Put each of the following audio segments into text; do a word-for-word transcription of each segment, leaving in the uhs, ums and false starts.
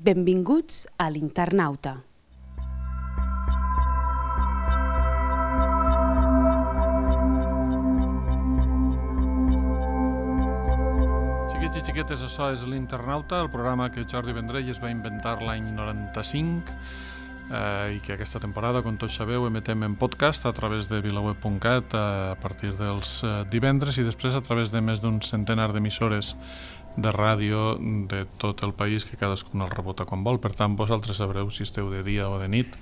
Benvinguts a l'Internauta. Xiquets i xiquetes, això és l'Internauta, el programa que Jordi Vendrell es va inventar l'any noranta-cinc eh, i que aquesta temporada, com tots sabeu, emetem en podcast a través de vilaweb punt cat a partir dels eh, divendres i després a través de més d'un centenar d'emissores de ràdio de tot el país que cadascun el rebota quan vol. Per tant, vosaltres sabreu si esteu de dia o de nit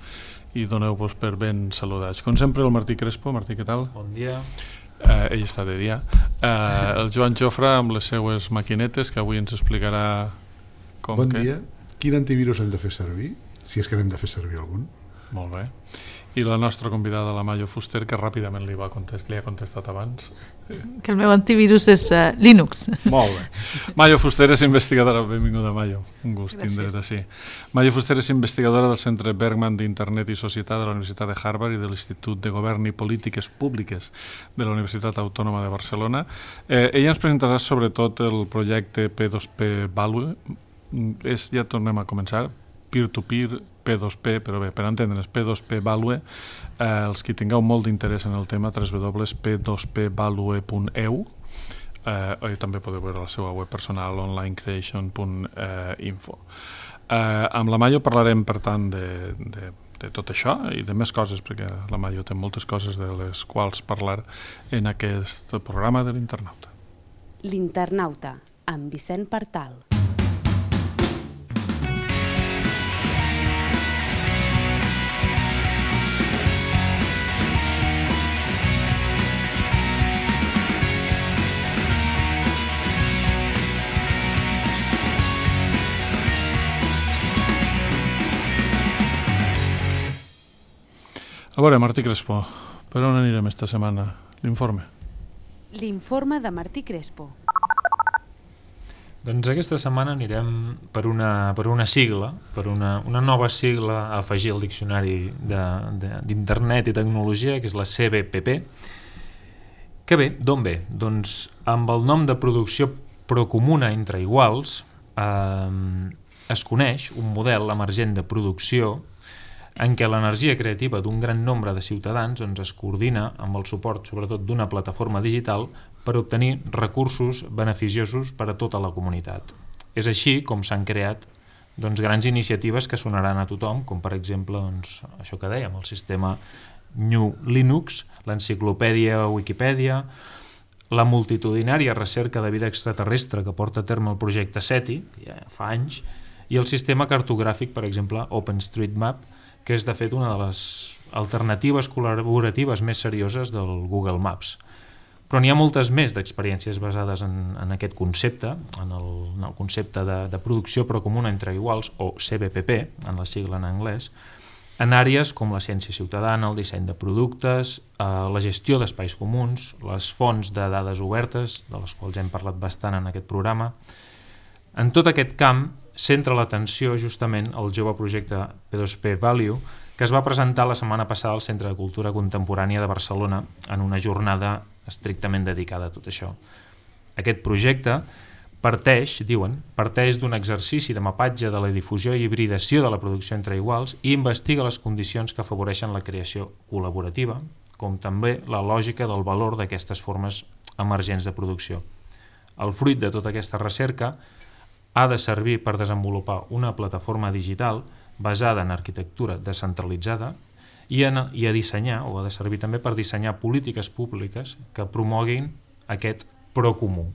i doneu-vos per ben saludats. Com sempre, el Martí Crespo. Martí, què tal? Bon dia. Eh, ell està de dia. Eh, el Joan Jofre amb les seues maquinetes, que avui ens explicarà com bon que... dia. Quin antivirus hem de fer servir? Si és que n'hem de fer servir algun. Molt bé. I la nostra convidada, la Mayo Fuster, que ràpidament li, va contest, li ha contestat abans. Que el meu antivirus és uh, Linux. Molt bé. Mayo Fuster és investigadora. Benvinguda, Mayo. Un gust tindre't així. Mayo Fuster és investigadora del Centre Bergman d'Internet i Societat de la Universitat de Harvard i de l'Institut de Govern i Polítiques Públiques de la Universitat Autònoma de Barcelona. Eh, ella ens presentarà sobretot el projecte P dos P Value. És, ja tornem a començar, peer-to-peer, P dos P, però bé, per entendre's, P dos P Value, eh, els que tingueu molt d'interès en el tema, w w w punt p dos p value punt e u, eh, i també podeu veure la seva web personal, online creation punt info. Eh, amb la Mayo parlarem, per tant, de, de, de tot això i de més coses, perquè la Mayo té moltes coses de les quals parlar en aquest programa de l'Internauta. L'Internauta, amb Vicent Partal. A veure, Martí Crespo, per on anirem esta setmana? L'informe. L'informe de Martí Crespo. Doncs aquesta setmana anirem per una, per una sigla, per una, una nova sigla a afegir al diccionari d'Internet i Tecnologia, que és la C B P P. Que bé, d'on ve? Doncs amb el nom de producció procomuna entre iguals eh, es coneix un model emergent de producció en què l'energia creativa d'un gran nombre de ciutadans doncs, es coordina amb el suport sobretot d'una plataforma digital per obtenir recursos beneficiosos per a tota la comunitat. És així com s'han creat doncs, grans iniciatives que sonaran a tothom, com per exemple doncs, això que dèiem, el sistema New Linux, l'enciclopèdia Wikipedia, la multitudinària recerca de vida extraterrestre que porta a terme el projecte SETI, que ja fa anys, i el sistema cartogràfic, per exemple, OpenStreetMap, que és de fet una de les alternatives col·laboratives més serioses del Google Maps. Però n'hi ha moltes més d'experiències basades en, en aquest concepte, en el, en el concepte de, de producció procomuna entre iguals, o C B P P, en la sigla en anglès, en àrees com la ciència ciutadana, el disseny de productes, eh, la gestió d'espais comuns, les fonts de dades obertes, de les quals hem parlat bastant en aquest programa. En tot aquest camp centra l'atenció justament al jove projecte P dos P Value, que es va presentar la setmana passada al Centre de Cultura Contemporània de Barcelona en una jornada estrictament dedicada a tot això. Aquest projecte parteix, diuen, parteix d'un exercici de mapatge de la difusió i hibridació de la producció entre iguals i investiga les condicions que afavoreixen la creació col·laborativa, com també la lògica del valor d'aquestes formes emergents de producció. El fruit de tota aquesta recerca ha de servir per desenvolupar una plataforma digital basada en arquitectura descentralitzada i, en, i a dissenyar, o ha de servir també per dissenyar polítiques públiques que promoguin aquest procomú.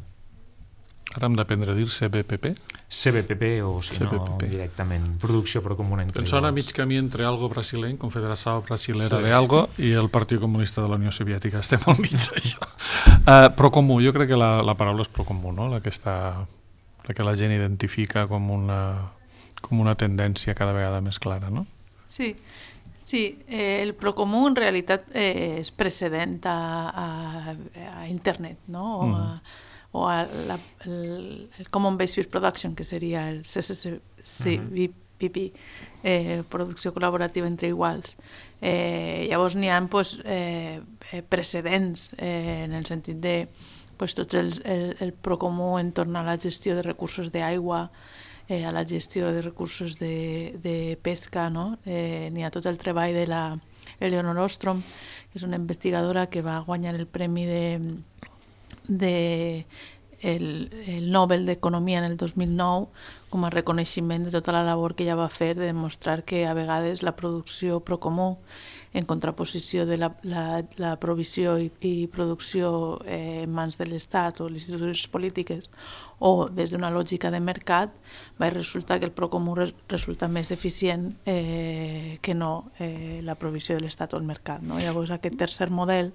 Ara hem d'aprendre a dir C B P P? C B P P o si C B P P. no directament, producció procomuna entre iguals. Em sona mig camí entre algo brasileny, Confederació Brasilera sí. de Algo, i el Partit Comunista de la Unió Soviètica. Estem al mig d'això. Uh, procomú, jo crec que la, la paraula és procomú, no? La que està... la que la gent identifica com una, com una tendència cada vegada més clara, no? Sí, sí eh, el procomú en realitat eh, és precedent a, a, a internet, no? O a, mm. o a la, el, el Common Base Production, que seria el C C C B P P, eh, producció col·laborativa entre iguals. Eh, llavors n'hi ha pues, eh, precedents eh, en el sentit de pues, tot el, el, el procomú en torn a la gestió de recursos d'aigua, eh, a la gestió de recursos de, de pesca, no? Eh, n'hi ha tot el treball de la Eleonor Ostrom, que és una investigadora que va guanyar el premi de, de el, el Nobel d'Economia en el dos mil nou com a reconeixement de tota la labor que ella va fer de demostrar que a vegades la producció pro comú en contraposició de la, la, la provisió i, i producció eh, en mans de l'Estat o les institucions polítiques o des d'una lògica de mercat, va resultar que el procomú resulta més eficient eh, que no eh, la provisió de l'Estat o el mercat. No? Llavors aquest tercer model,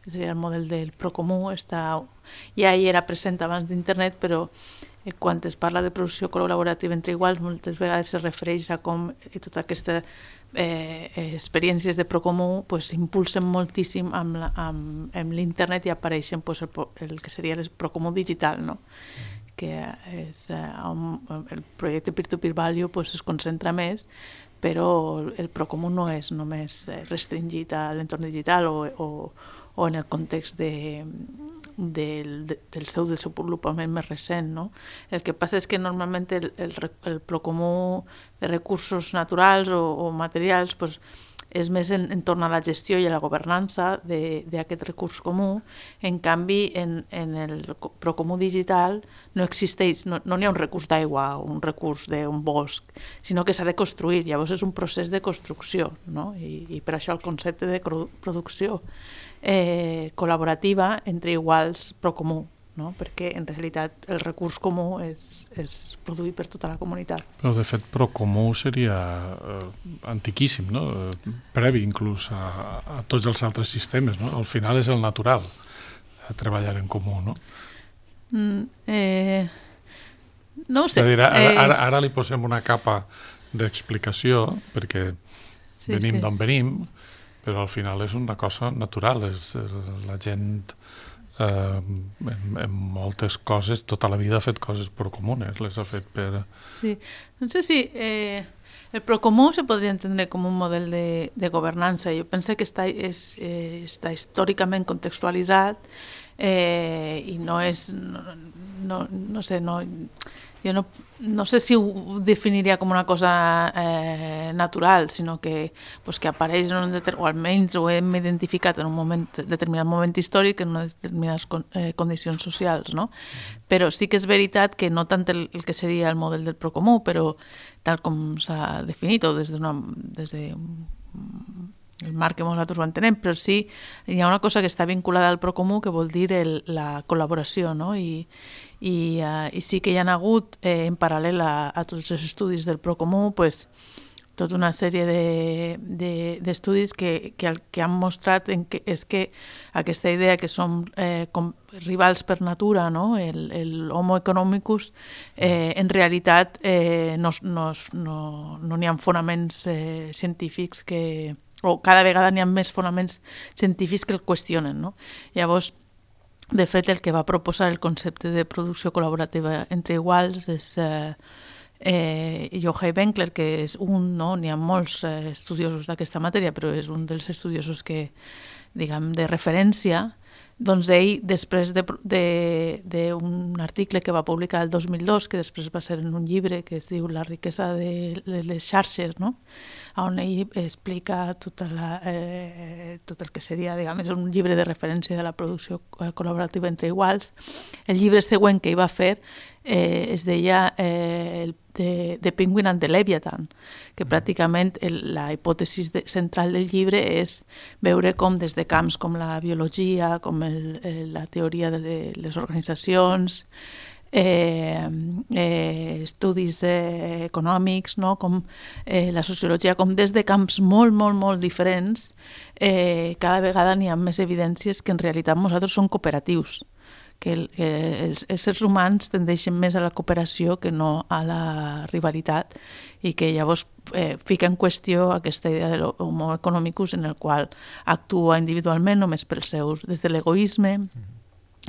que seria el model del procomú, està, ja hi era present abans d'internet, però eh, quan es parla de producció col·laborativa entre iguals, moltes vegades es refereix a com eh, tota aquesta Eh, eh, experiències de procomú pues, s'impulsen moltíssim amb, la, amb, amb l'internet i apareixen pues, el, el que seria el procomú digital, no? Que és, eh, un, el projecte peer-to-peer value pues, es concentra més, però el procomú no és només restringit a l'entorn digital o, o, o en el context de, del, del seu desenvolupament més recent. No? El que passa és que normalment el, el, el procomú de recursos naturals o, o materials pues, és més en, en torn a la gestió i a la governança d'aquest recurs comú. En canvi, en, en el procomú digital no existeix, no n'hi ha un recurs d'aigua o un recurs d'un bosc, sinó que s'ha de construir. Llavors és un procés de construcció, no? I, i per això el concepte de producció eh, col·laborativa entre iguals procomú, no? Perquè en realitat el recurs comú és, és produït per tota la comunitat. Però de fet procomú seria eh, antiquíssim, no? Eh, previ inclús a, a tots els altres sistemes, no? Al final és el natural a treballar en comú, no? Mm, eh, no ho sé. Dir, ara, eh... ara, ara li posem una capa d'explicació perquè sí, venim sí. d'on venim, però al final és una cosa natural, és la gent Uh, en, en moltes coses, tota la vida ha fet coses procomunes, les ha fet per... Sí, no sé si eh, el procomú se podria entendre com un model de, de governança. Jo penso que està, és, eh, està històricament contextualitzat eh, i no és, no, no, no sé, no... Jo no, no sé si ho definiria com una cosa eh, natural, sinó que, pues, que apareix en un deter... o almenys ho hem identificat en un moment, determinat moment històric, en unes determinades con, eh, condicions socials, no? Però sí que és veritat que no tant el, el que seria el model del procomú, però tal com s'ha definit, o des d'una... des de el marc que nosaltres ho entenem, però sí hi ha una cosa que està vinculada al procomú que vol dir el, la col·laboració, no? I, i, uh, i sí que hi ha hagut eh, en paral·lel a, a tots els estudis del procomú pues, tota una sèrie d'estudis de, de, que, que el que han mostrat en que, és que aquesta idea que som eh, com rivals per natura, no? el, el homo economicus, eh, en realitat eh, no n'hi no, no, no ha fonaments eh, científics que o cada vegada n'hi ha més fonaments científics que el qüestionen. No? Llavors, de fet, el que va proposar el concepte de producció col·laborativa entre iguals és eh, eh, Yochai Benkler, que és un, no? N'hi ha molts eh, estudiosos d'aquesta matèria, però és un dels estudiosos que, diguem, de referència. Doncs ell, després d'un article que va publicar el dos mil dos, que després va ser en un llibre que es diu La riquesa de, de les xarxes, no? On ell explica tota la, eh, tot el que seria, diguem, és un llibre de referència de la producció col·laborativa entre iguals. El llibre següent que ell va fer eh, es deia eh, el de, de Penguin and the Leviathan, que pràcticament el, la hipòtesi de, central del llibre és veure com des de camps com la biologia, com el, el, la teoria de les organitzacions, eh, eh, estudis eh, econòmics, no? Com eh, la sociologia, com des de camps molt, molt, molt diferents, eh, cada vegada n'hi ha més evidències que en realitat nosaltres som cooperatius, que, el, que els éssers humans tendeixen més a la cooperació que no a la rivalitat i que llavors eh, fica en qüestió aquesta idea de l'homo economicus en el qual actua individualment només pels seus, des de l'egoisme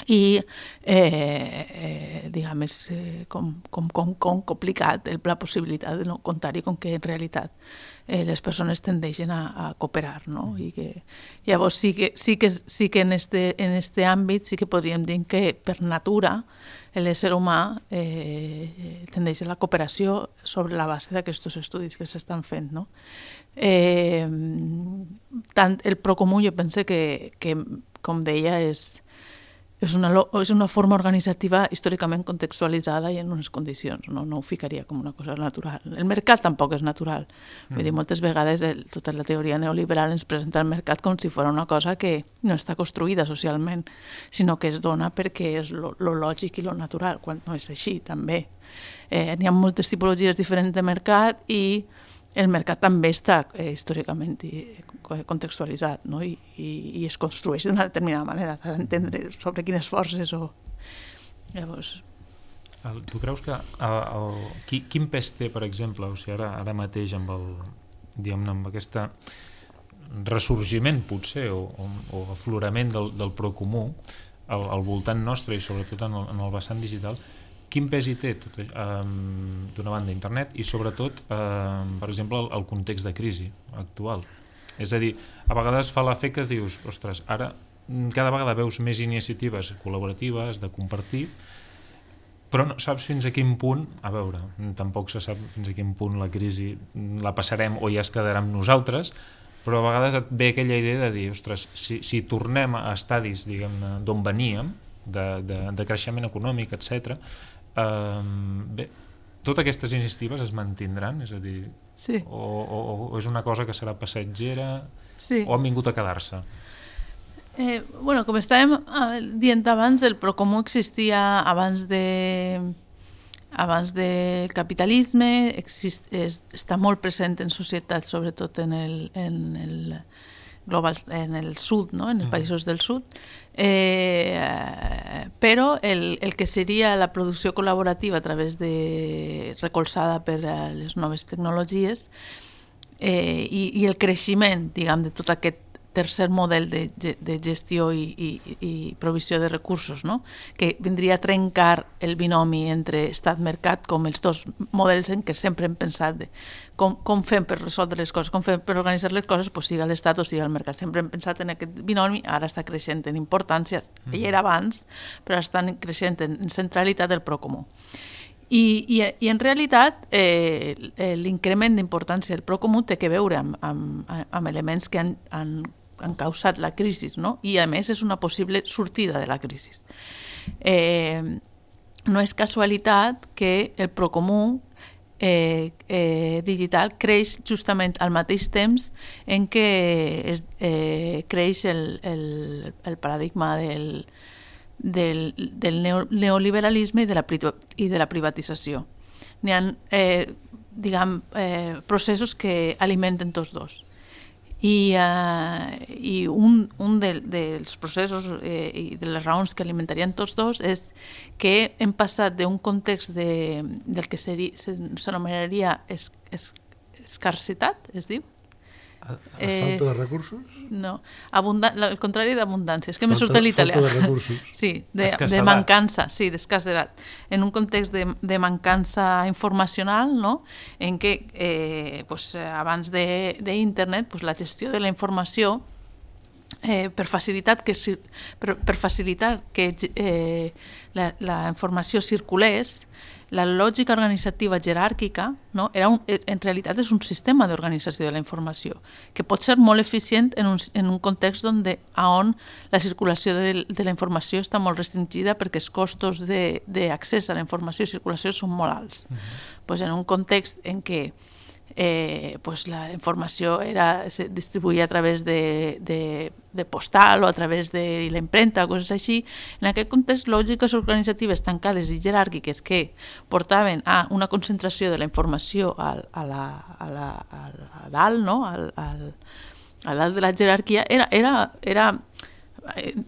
i eh, eh, diguem, és eh, com, com, com, com complicat el, la possibilitat de no comptar-hi com que en realitat eh, les persones tendeixen a, a cooperar, no? I que llavors sí que, sí que, sí que en, este, en este àmbit sí que podríem dir que per natura l'ésser humà eh, tendeix a la cooperació sobre la base d'aquests estudis que s'estan fent, no? Eh, tant el Procomú jo pense que, que com deia, és, és, una, és una forma organitzativa històricament contextualitzada i en unes condicions, no, no ho ficaria com una cosa natural. El mercat tampoc és natural. Mm. Vull dir, moltes vegades el, tota la teoria neoliberal ens presenta el mercat com si fos una cosa que no està construïda socialment, sinó que es dona perquè és lo, lo lògic i lo natural, quan no és així, també. Eh, n'hi ha moltes tipologies diferents de mercat i el mercat també està eh, històricament i, contextualitzat, no? I, i, i es construeix d'una determinada manera, s'ha d'entendre sobre quines forces o... Llavors... El, tu creus que el, el, qui, quin pes té, per exemple, o sigui, ara, ara mateix amb el, diguem-ne, amb aquesta ressorgiment, potser, o, o, o aflorament del, del Procomú al, al voltant nostre i sobretot en el, en el vessant digital, quin pes hi té tot, eh, d'una banda internet i sobretot, eh, per exemple, el, el context de crisi actual? És a dir, a vegades fa l'efecte que dius, ostres, ara cada vegada veus més iniciatives col·laboratives de compartir, però no saps fins a quin punt, a veure, tampoc se sap fins a quin punt la crisi la passarem o ja es quedarà amb nosaltres, però a vegades et ve aquella idea de dir, ostres, si, si tornem a estadis, diguem-ne, d'on veníem, de, de, de creixement econòmic, etcètera, eh, bé, totes aquestes iniciatives es mantindran, és a dir, sí. o, o, o és una cosa que serà passatgera, sí. o han vingut a quedar-se? Eh, bueno, com estàvem dient abans, el Procomú existia abans de abans del capitalisme, exist, és, està molt present en societats, sobretot en el, en el global, en el sud, no? En els països del sud, eh, però el, el que seria la producció col·laborativa a través de recolzada per les noves tecnologies eh, i, i el creixement, diguem, de tot aquest tercer model de, de gestió i, i, i provisió de recursos, no? Que vindria a trencar el binomi entre estat-mercat com els dos models en què sempre hem pensat de com, com fem per resoldre les coses, com fem per organitzar les coses, pues siga l'estat o siga el mercat. Sempre hem pensat en aquest binomi, ara està creixent en importància, mm. ell era abans, però està creixent en centralitat del Procomú. I, i, i en realitat eh, l'increment d'importància del Procomú té que veure amb, amb, amb elements que han, han han causat la crisi, no? I a més és una possible sortida de la crisi. Eh, no és casualitat que el Procomú eh, eh, digital creix justament al mateix temps en què es, eh, creix el, el, el paradigma del, del, del neoliberalisme i de la, i de la privatització. N'hi ha eh, diguem, eh, processos que alimenten tots dos. I, uh, i un, un de, dels processos eh, i de les raons que alimentarien tots dos és que hem passat d'un context de, del que s'anomenaria es, es, escarcitat, es diu? A, a falta de recursos? No, abunda, el contrari d'abundància, és que me surt l'italià. Falta de recursos. Sí, de, de mancança, sí, d'escassedat. En un context de, de mancança informacional, no? En què eh, pues, abans d'internet pues, la gestió de la informació eh, per, facilitat que, per, per facilitar que eh, la, la informació circulés, la lògica organitzativa jeràrquica, no? Era un, en realitat és un sistema d'organització de la informació que pot ser molt eficient en un, en un context on, de, on la circulació de, de la informació està molt restringida perquè els costos d'accés a la informació i circulació són molt alts. Uh-huh. Pues en un context en què eh, pues la informació era, se distribuïa a través de, de, de postal o a través de la impremta, coses així. En aquest context, lògiques organitzatives tancades i jeràrquiques que portaven a una concentració de la informació al, a, la, a, la, a dalt, no? al, al, a dalt de la jerarquia, era, era, era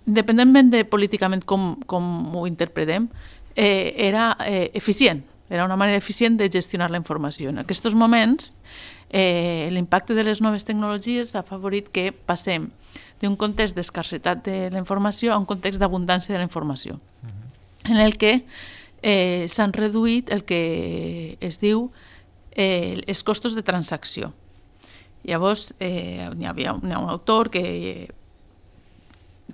independentment de políticament com, com ho interpretem, eh, era eh, eficient. Era una manera eficient de gestionar la informació. En aquests moments, eh, l'impacte de les noves tecnologies ha favorit que passem d'un context d'escarcitat de la informació a un context d'abundància de la informació, uh-huh. en el que eh, s'han reduït el que es diu eh, els costos de transacció. Llavors, eh, hi havia un, un autor que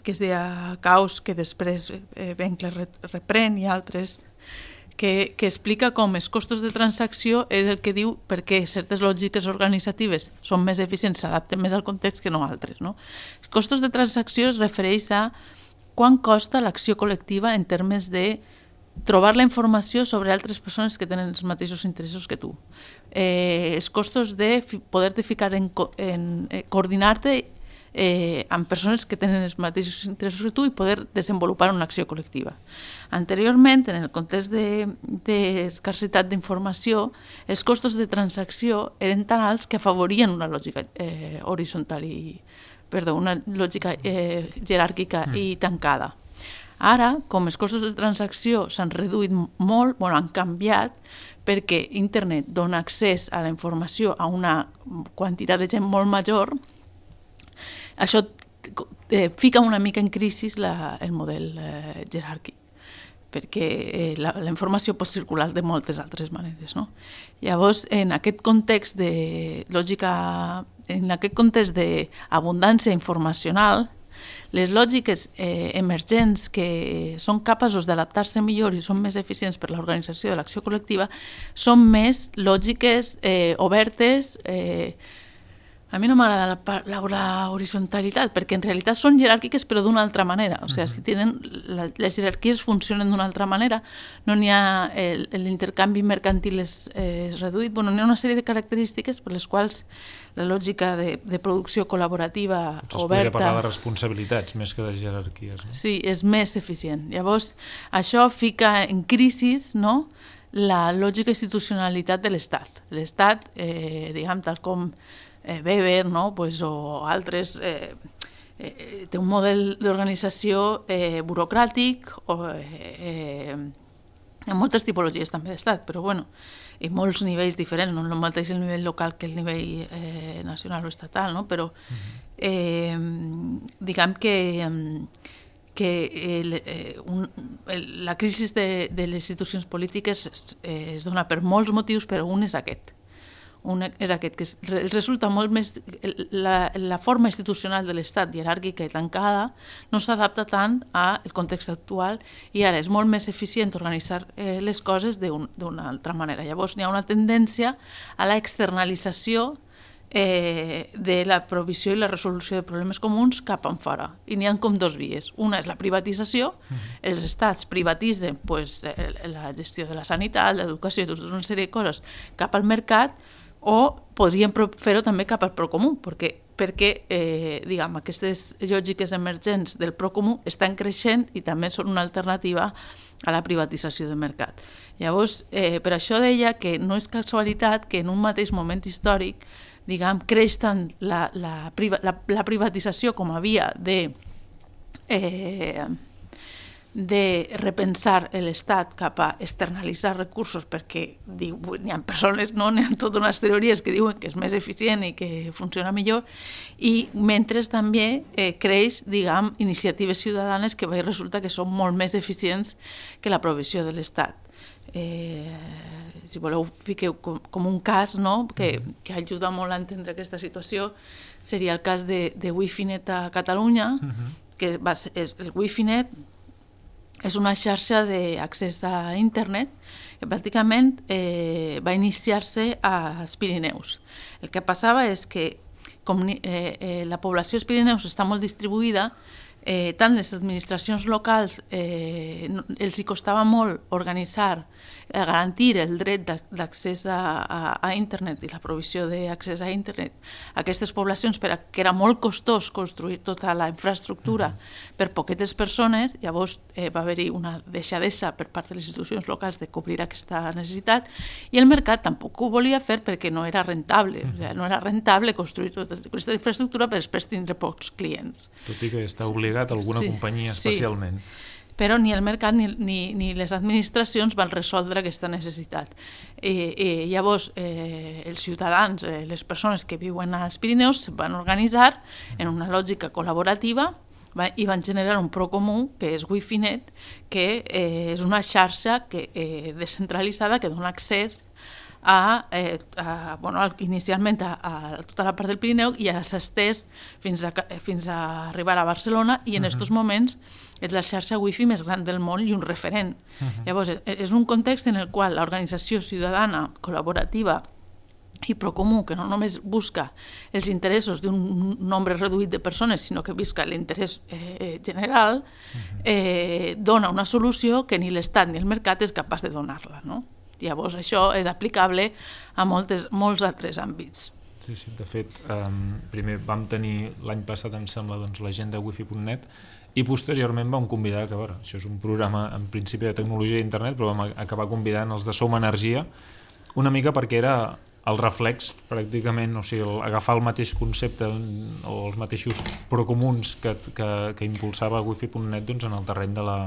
que es deia Caos, que després eh, Benkler reprèn, i altres, que, que explica com els costos de transacció és el que diu perquè certes lògiques organitzatives són més eficients, s'adapten més al context que no altres. No? Els costos de transacció es refereix a quant costa l'acció col·lectiva en termes de trobar la informació sobre altres persones que tenen els mateixos interessos que tu. Eh, els costos de poder-te ficar en, en eh, coordinar-te eh, amb persones que tenen els mateixos interessos que tu i poder desenvolupar una acció col·lectiva. Anteriorment, en el context d'escarcitat de, d'informació, els costos de transacció eren tan alts que afavorien una lògica eh, horitzontal i, perdó, una lògica eh, jeràrquica mm. i tancada. Ara, com els costos de transacció s'han reduït molt, bueno, han canviat, perquè internet dona accés a la informació a una quantitat de gent molt major, això eh, fica una mica en crisi la, el model eh, jeràrquic, perquè eh, la, la informació pot circular de moltes altres maneres. No? Llavors, en aquest context de lògica, en aquest context d'abundància informacional, les lògiques eh, emergents que són capaços d'adaptar-se millor i són més eficients per l'organització de l'acció col·lectiva són més lògiques eh, obertes. Eh, a mi no m'agrada la, la, la horizontalitat, perquè en realitat són jeràrquiques però d'una altra manera. O sigui, si tenen, la, les jerarquies funcionen d'una altra manera, no n'hi ha l'intercanvi mercantil és, és reduït, bueno, n'hi ha una sèrie de característiques per les quals la lògica de, de producció col·laborativa Potser oberta... Es podria parlar de responsabilitats més que de jerarquies. No? Sí, és més eficient. Llavors, això fica en crisi, no?, la lògica institucionalitat de l'Estat. L'Estat, eh, diguem, tal com eh, Weber, no?, pues, o altres... Eh, eh, té un model d'organització eh, burocràtic, o, eh, eh, en moltes tipologies també d'Estat, però bueno, i molts nivells diferents, no el mateix el nivell local que el nivell eh, nacional o estatal, no? Però eh, diguem que, que el, eh, un, el, la crisi de, de les institucions polítiques es, eh, es dona per molts motius, però un és aquest. Un és aquest, que es, resulta molt més... La, la forma institucional de l'Estat jeràrquica i tancada no s'adapta tant al context actual i ara és molt més eficient organitzar eh, les coses d'una un, altra manera. Llavors hi ha una tendència a la externalització eh, de la provisió i la resolució de problemes comuns cap en fora. I n'hi ha com dos vies. Una és la privatització. Mm-hmm. Els estats privatitzen pues, la gestió de la sanitat, l'educació i tota una sèrie de coses cap al mercat, o podríem fer-ho també cap al procomú, perquè, perquè eh, diguem, aquestes lògiques emergents del procomú estan creixent i també són una alternativa a la privatització del mercat. Llavors, eh, per això deia que no és casualitat que en un mateix moment històric, diguem, creix tant la, la, la, la privatització com a via de... Eh, de repensar l'Estat cap a externalitzar recursos perquè diu, n'hi ha persones, no? N'hi ha totes unes teories que diuen que és més eficient i que funciona millor, i mentre també eh, creix, diguem, iniciatives ciutadanes que resulta que són molt més eficients que la provisió de l'Estat. Eh, si voleu, fiqueu com, com un cas, no?, que, que ajuda molt a entendre aquesta situació, seria el cas de, de Wifinet a Catalunya, uh-huh. que va ser, és, el Wifinet és una xarxa d'accés a internet que pràcticament eh, va iniciar-se als Pirineus. El que passava és que com eh, eh, la població als Pirineus està molt distribuïda, eh, tant les administracions locals eh, els hi costava molt organitzar, eh, garantir el dret d'accés a, a, a internet i la provisió d'accés a internet a aquestes poblacions, perquè era molt costós construir tota la infraestructura uh-huh. per poquetes persones. Llavors eh, va haver-hi una deixadesa per part de les institucions locals de cobrir aquesta necessitat, i el mercat tampoc ho volia fer perquè no era rentable. Uh-huh. O sigui, no era rentable construir tota aquesta infraestructura per després tindre pocs clients. Tot i que està obligat a alguna sí, companyia especialment. Sí. Però ni el mercat ni, ni, ni les administracions van resoldre aquesta necessitat. Eh, eh, llavors, eh, els ciutadans, eh, les persones que viuen als Pirineus, es van organitzar en una lògica col·laborativa va, i van generar un procomú, que és Wifinet, que eh, és una xarxa que, eh, descentralitzada que dona accés a, eh, a, bueno, inicialment a, a tota la part del Pirineu i ara s'ha estès fins a, fins a arribar a Barcelona i en aquests uh -huh. moments és la xarxa wifi més gran del món i un referent. Uh -huh. Llavors, és un context en el qual l'organització ciutadana col·laborativa i Procomú, que no només busca els interessos d'un nombre reduït de persones, sinó que busca l'interès eh, general, eh, dona una solució que ni l'Estat ni el mercat és capaç de donar-la, no? Llavors, això és aplicable a moltes, molts altres àmbits. Sí, sí, de fet, um, primer vam tenir l'any passat, em sembla, doncs, l'agenda wifi punt net i posteriorment vam convidar, que a veure, això és un programa en principi de tecnologia d'internet, però vam acabar convidant els de Som Energia una mica perquè era el reflex, pràcticament, o sigui, el, agafar el mateix concepte o els mateixos procomuns que, que, que impulsava wifi punt net doncs, en el terreny de la,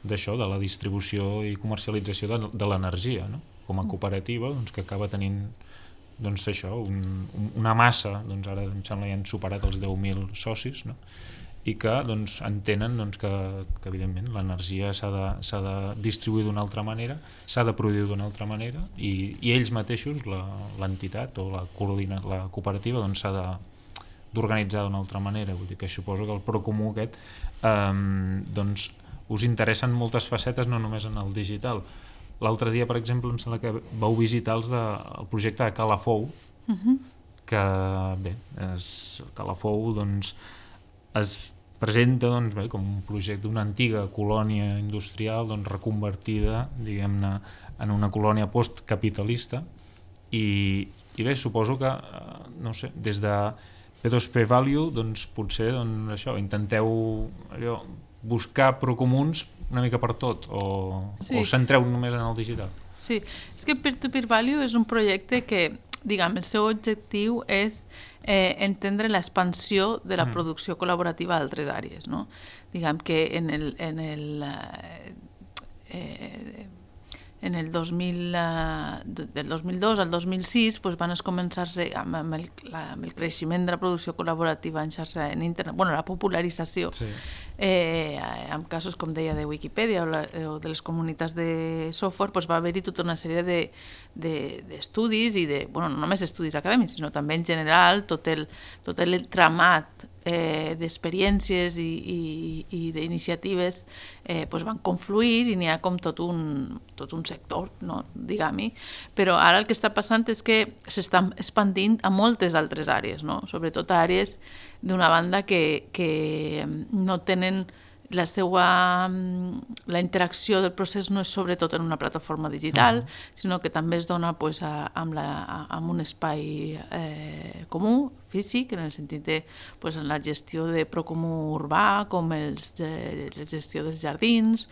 d'això, de la distribució i comercialització de, de l'energia, no? Com a cooperativa, doncs, que acaba tenint doncs, això, un, una massa, doncs, ara em sembla que ja han superat els deu mil socis, no? I que doncs, entenen doncs, que, que evidentment l'energia s'ha de, s'ha de distribuir d'una altra manera, s'ha de produir d'una altra manera i, i ells mateixos, l'entitat o la, coordina, la cooperativa doncs, s'ha de d'organitzar d'una altra manera. Vull dir que suposo que el Procomú aquest eh, doncs, us interessen moltes facetes, no només en el digital. L'altre dia, per exemple, em sembla que vau visitar els de, el projecte de Calafou, uh-huh. que bé, és, Calafou doncs, es presenta doncs, bé, com un projecte d'una antiga colònia industrial doncs, reconvertida, diguem-ne, en una colònia postcapitalista i, i bé, suposo que, no sé, des de P dos P Value, doncs potser doncs, això, intenteu allò, buscar procomuns una mica per tot o, sí. o centreu només en el digital? Sí, és que Peer-to-Peer Value és un projecte que, diguem, el seu objectiu és eh, entendre l'expansió de la mm. producció col·laborativa a altres àrees, no? Diguem que en el, en el, eh, en el dos mil, eh, del dos mil dos al dos mil sis pues, van començar-se amb, amb, el, la, amb el creixement de la producció col·laborativa en xarxa en internet, bueno, la popularització, sí. eh, en casos, com deia, de Wikipedia o, la, o de les comunitats de software, pues, va haver-hi tota una sèrie de, de, d'estudis i de, bueno, no només estudis acadèmics, sinó també en general tot el, tot el tramat eh, d'experiències i, i, i d'iniciatives eh, pues van confluir i n'hi ha com tot un, tot un sector, no? Diguem-hi. Però ara el que està passant és que s'està expandint a moltes altres àrees, no? Sobretot àrees d'una banda que, que no tenen la seva, la interacció del procés no és sobretot en una plataforma digital, uh-huh. sinó que també es dona pues, a, amb, la, a, amb un espai eh, comú, físic, en el sentit de pues, en la gestió de Procomú urbà, com els, eh, la gestió dels jardins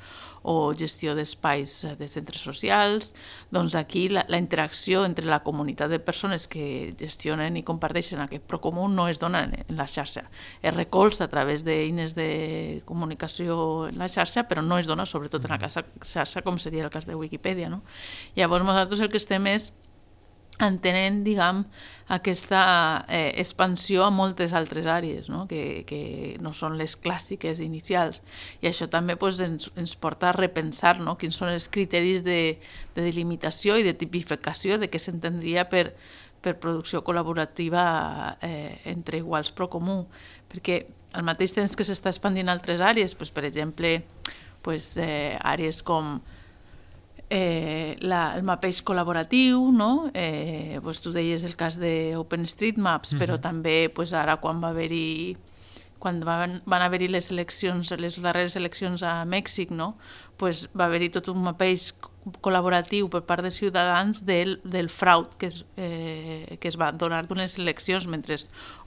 o gestió d'espais de centres socials. Doncs aquí la, la interacció entre la comunitat de persones que gestionen i comparteixen aquest Procomú no es dona en, en la xarxa. Es recolza a través d'eines de comunicació en la xarxa, però no es dona sobretot en la xarxa com seria el cas de Wikipedia, no? Llavors nosaltres el que estem és entenent, diguem, aquesta eh, expansió a moltes altres àrees, no? Que, que no són les clàssiques inicials. I això també pues, ens, ens porta a repensar, no? Quins són els criteris de, de delimitació i de tipificació de què s'entendria per, per producció col·laborativa eh, entre iguals Procomú. Perquè al mateix temps que s'està expandint altres àrees, pues, per exemple, pues, eh, àrees com Eh, la, el mapeix col·laboratiu, no? eh, pues tu deies el cas d'OpenStreetMaps, uh-huh. però també pues, ara quan va haver-hi quan van, van haver-hi les eleccions, les darreres eleccions a Mèxic, no? Pues va haver-hi tot un mapeix col·laboratiu per part dels ciutadans del, del fraud que es, eh, que es va donar d'unes eleccions, mentre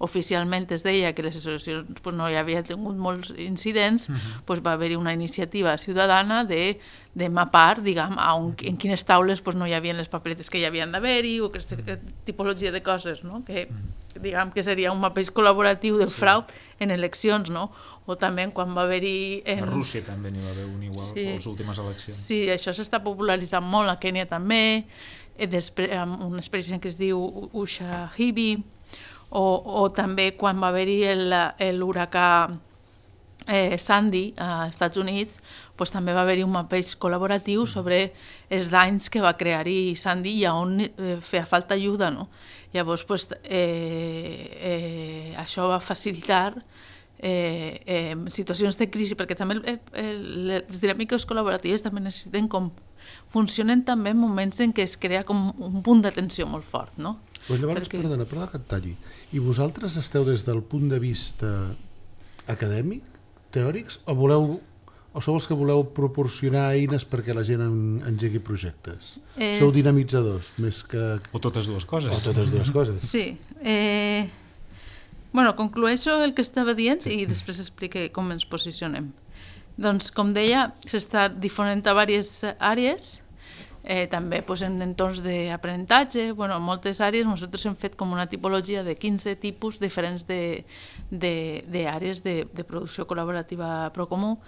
oficialment es deia que les eleccions pues, no hi havia tingut molts incidents, uh-huh. pues, va haver-hi una iniciativa ciutadana de, de mapar, diguem, a un, en quines taules pues, no hi havia les papeletes que hi havien d'haver-hi o aquesta tipologia de coses, no? Que, diguem que seria un mapeix col·laboratiu del frau sí. en eleccions, no? O també quan va haver-hi... En... A Rússia també n'hi va haver un igual sí. a les últimes eleccions. Sí, això s'està popularitzant molt, a Kènia també, després, amb una experiència que es diu Ushahidi, o, o també quan va haver-hi l'huracà eh, Sandy als Estats Units, pues, també va haver-hi un mapeig col·laboratiu sobre els danys que va crear-hi Sandy i on eh, feia falta ajuda, no? Llavors, pues, eh, eh, això va facilitar eh, eh, situacions de crisi, perquè també eh, eh, les dinàmiques col·laboratives també necessiten com funcionen també en moments en què es crea com un punt d'atenció molt fort, no? Pues llavors, perquè... perdona, perdona que et talli. I vosaltres esteu des del punt de vista acadèmic, teòrics, o voleu o sou els que voleu proporcionar eines perquè la gent en, engegui projectes? Eh... Sou dinamitzadors, més que... O totes dues coses. O totes dues coses. Sí. Eh... Bueno, conclueixo el que estava dient sí. i després explique com ens posicionem. Doncs, com deia, s'està difonent a diverses àrees, eh, també pues, en entorns d'aprenentatge. Bueno, en moltes àrees nosaltres hem fet com una tipologia de quinze tipus diferents d'àrees de, de, de, de producció col·laborativa Procomú,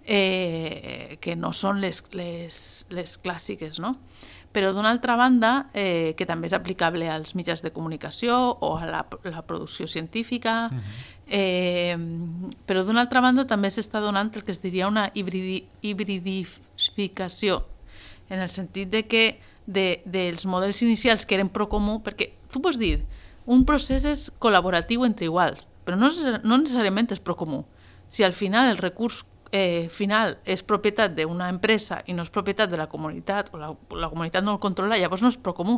Eh, que no són les, les, les clàssiques, no? Però d'una altra banda, eh, que també és aplicable als mitjans de comunicació o a la, la producció científica, uh-huh. eh, però d'una altra banda també s'està donant el que es diria una hibridi, hibridificació, en el sentit de que de, dels models inicials que eren Procomú, perquè tu pots dir, un procés és col·laboratiu entre iguals, però no, no necessàriament és Procomú. Si al final el recurs Eh, final és propietat d'una empresa i no és propietat de la comunitat o la, la comunitat no el controla, llavors no és Procomú.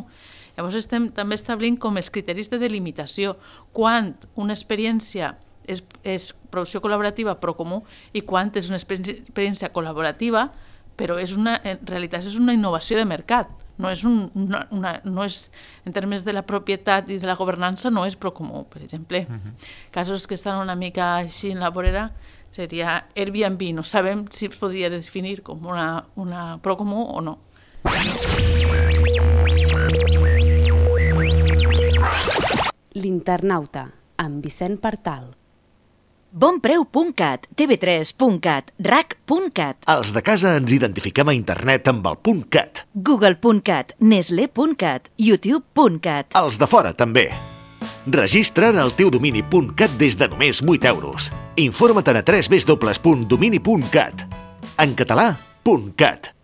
Llavors estem també establint com els criteris de delimitació quan una experiència és, és producció col·laborativa Procomú i quan és una experiència col·laborativa, però és una, en realitat és una innovació de mercat. No és un, una, una, no és, en termes de la propietat i de la governança, no és Procomú, per exemple. Uh-huh. Casos que estan una mica així en la vorera seria Airbnb. No sabem si es podria definir com una, una Procomú o no. L'Internauta, amb Vicent Partal. bonpreu punt cat, te ve tres punt cat, rac punt cat. Els de casa ens identifiquem a internet amb el .cat. Google punt cat, nestlé punt cat, youtube punt cat. Els de fora també. Registra't el teu domini .cat des de només vuit euros. Informa't a w w w punt domini punt cat. En català, .cat.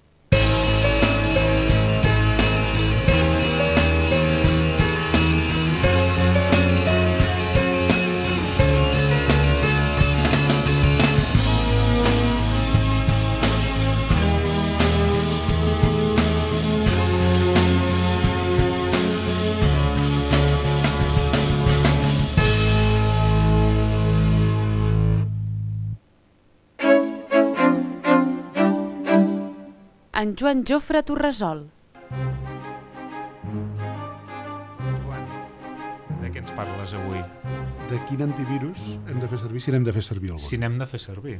En Joan Jofre Torresol. Joan, de què ens parles avui? De quin antivirus hem de fer servir, si n'hem de fer servir algun. Si n'hem de fer servir.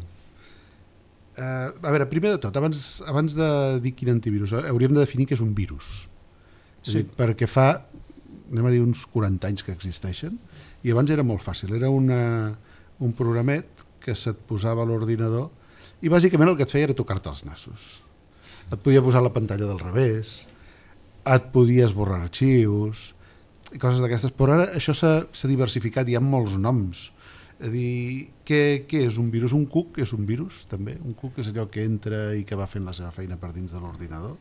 Uh, a veure, primer de tot, abans, abans de dir quin antivirus, hauríem de definir què és un virus. Sí. És a dir, perquè fa, anem a dir, uns quaranta anys que existeixen, i abans era molt fàcil. Era una, un programet que se't posava a l'ordinador i bàsicament el que et feia era tocar-te els nassos. Et podia posar la pantalla del revés, et podia esborrar arxius, i coses d'aquestes. Però ara això s'ha diversificat, hi ha molts noms. És a dir, què, què és un virus? Un cuc és un virus, també. Un cuc és allò que entra i que va fent la seva feina per dins de l'ordinador.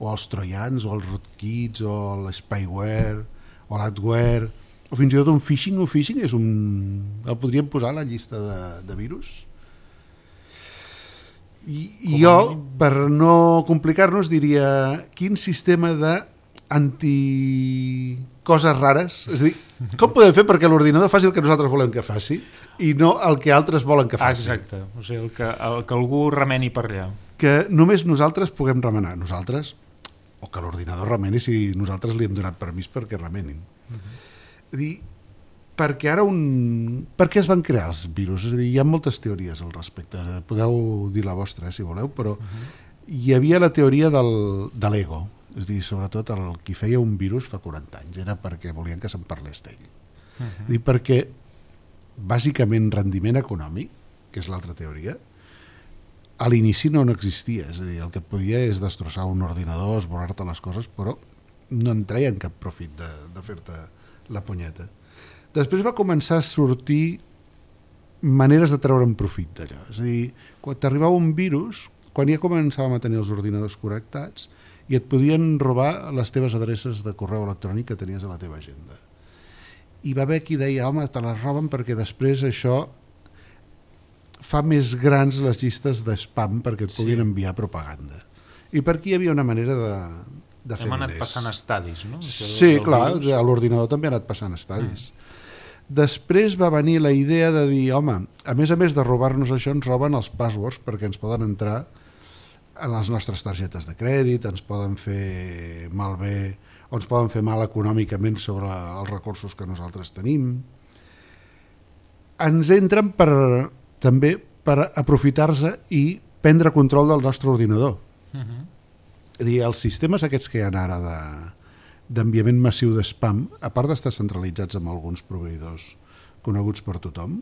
O els troians, o els rootkits, o l'spyware, o l'adware, o fins i tot un phishing. Un phishing és un... el podríem posar a la llista de, de virus. I, i jo, per no complicar-nos, diria quin sistema de anti coses rares, és a dir, com podem fer perquè l'ordinador faci el que nosaltres volem que faci i no el que altres volen que faci. Exacte, o sigui, el que, el que algú remeni per allà. Que només nosaltres puguem remenar, nosaltres, o que l'ordinador remeni si nosaltres li hem donat permís perquè remenin. Uh-huh. És a dir, perquè ara un... Per què es van crear els virus? És a dir, hi ha moltes teories al respecte. Podeu dir la vostra, eh, si voleu, però uh-huh. hi havia la teoria del, de l'ego. És a dir, sobretot el qui feia un virus fa quaranta anys era perquè volien que se'n parlés d'ell. Uh-huh. És a dir, perquè bàsicament rendiment econòmic, que és l'altra teoria, a l'inici no n'existia. És a dir, el que et podia és destrossar un ordinador, esborrar-te les coses, però no en treien cap profit de, de fer-te la punyeta. Després va començar a sortir maneres de treure'n profit d'allò. És a dir, quan t'arribava un virus, quan ja començàvem a tenir els ordinadors connectats i et podien robar les teves adreces de correu electrònic que tenies a la teva agenda. I va haver qui deia, home, te les roben perquè després això fa més grans les llistes de spam perquè et puguin sí. enviar propaganda. I per aquí hi havia una manera de, de fer Hem diners. anat passant estadis, no? Sí, clar, virus. A l'ordinador també ha anat passant estadis. Mm. Després va venir la idea de dir, home, a més a més de robar-nos això, ens roben els passwords perquè ens poden entrar en les nostres targetes de crèdit, ens poden fer malbé o ens poden fer mal econòmicament sobre els recursos que nosaltres tenim. Ens entren per, també per aprofitar-se i prendre control del nostre ordinador. Uh-huh. És a dir, els sistemes aquests que hi ha ara de d'enviament massiu de spam, a part d'estar centralitzats amb alguns proveïdors coneguts per tothom,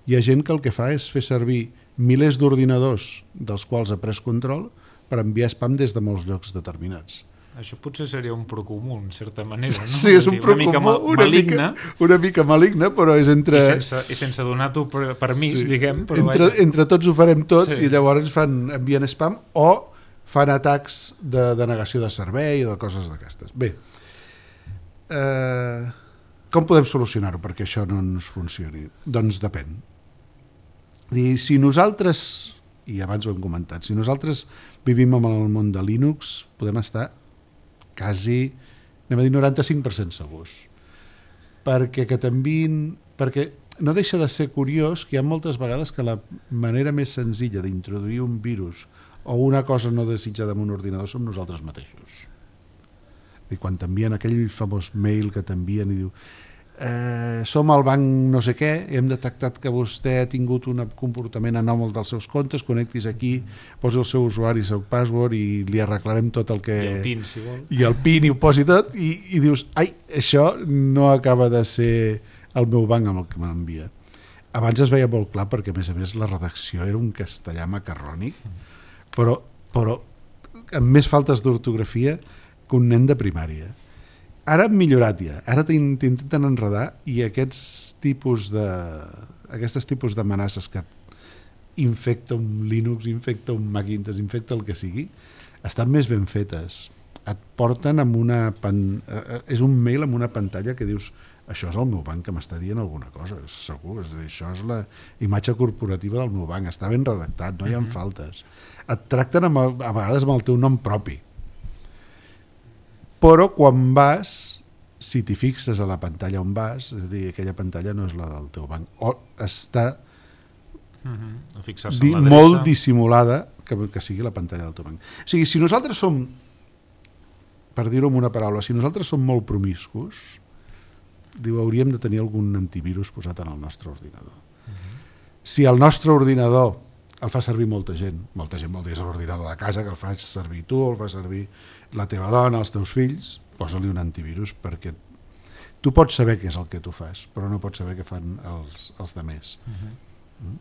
hi ha gent que el que fa és fer servir milers d'ordinadors dels quals ha pres control per enviar spam des de molts llocs determinats. Això potser seria un procomú, en certa manera, no? Sí, és un procomú, una, una, mica, una mica maligne, però és entre... I sense, i sense donar-t'ho permís, sí. diguem. Però entre, vaja. entre tots ho farem tot sí. I llavors fan, envien spam o fan atacs de denegació de servei o de coses d'aquestes. Bé, Eh, com podem solucionar-ho perquè això no ens funcioni? Doncs depèn. I si nosaltres, i abans ho hem comentat, si nosaltres vivim en el món de Linux, podem estar quasi, anem a dir, noranta-cinc per cent segurs. Perquè que t'enviïn... Perquè no deixa de ser curiós que hi ha moltes vegades que la manera més senzilla d'introduir un virus o una cosa no desitjada en un ordinador som nosaltres mateixos. I quan t'envien aquell famós mail que t'envien i diu eh, som al banc no sé què, hem detectat que vostè ha tingut un comportament anòmal dels seus comptes, connectis aquí, posi el seu usuari, el seu password i li arreglarem tot el que... I el PIN, si vol. I el PIN, i ho posi tot, i, i dius, ai, això no acaba de ser el meu banc amb el que m'envia. Abans es veia molt clar perquè, a més a més, la redacció era un castellà macarrònic, però, però amb més faltes d'ortografia que un nen de primària. Ara han millorat ja, ara t'intenten enredar i aquests tipus de aquestes tipus d'amenaces que infecta un Linux, infecta un Macintosh, infecta el que sigui, estan més ben fetes. Et porten amb una... Pan... és un mail amb una pantalla que dius això és el meu banc que m'està dient alguna cosa, segur, és a dir, això és la imatge corporativa del meu banc, està ben redactat, no hi ha faltes. Et tracten amb el, a vegades amb el teu nom propi. Però quan vas, si t'hi fixes a la pantalla on vas, és a dir, aquella pantalla no és la del teu banc, o està uh-huh. fixar-se di, molt dissimulada que, que sigui la pantalla del teu banc. O sigui, si nosaltres som, per dir-ho amb una paraula, si nosaltres som molt promiscus, diu, hauríem de tenir algun antivirus posat en el nostre ordinador. Uh-huh. Si el nostre ordinador el fa servir molta gent, molta gent vol dir és l'ordinador de casa, que el fas servir tu, el fa servir la teva dona, els teus fills, posa-li un antivirus perquè tu pots saber què és el que tu fas, però no pots saber què fan els, els demés. Uh-huh. Mm?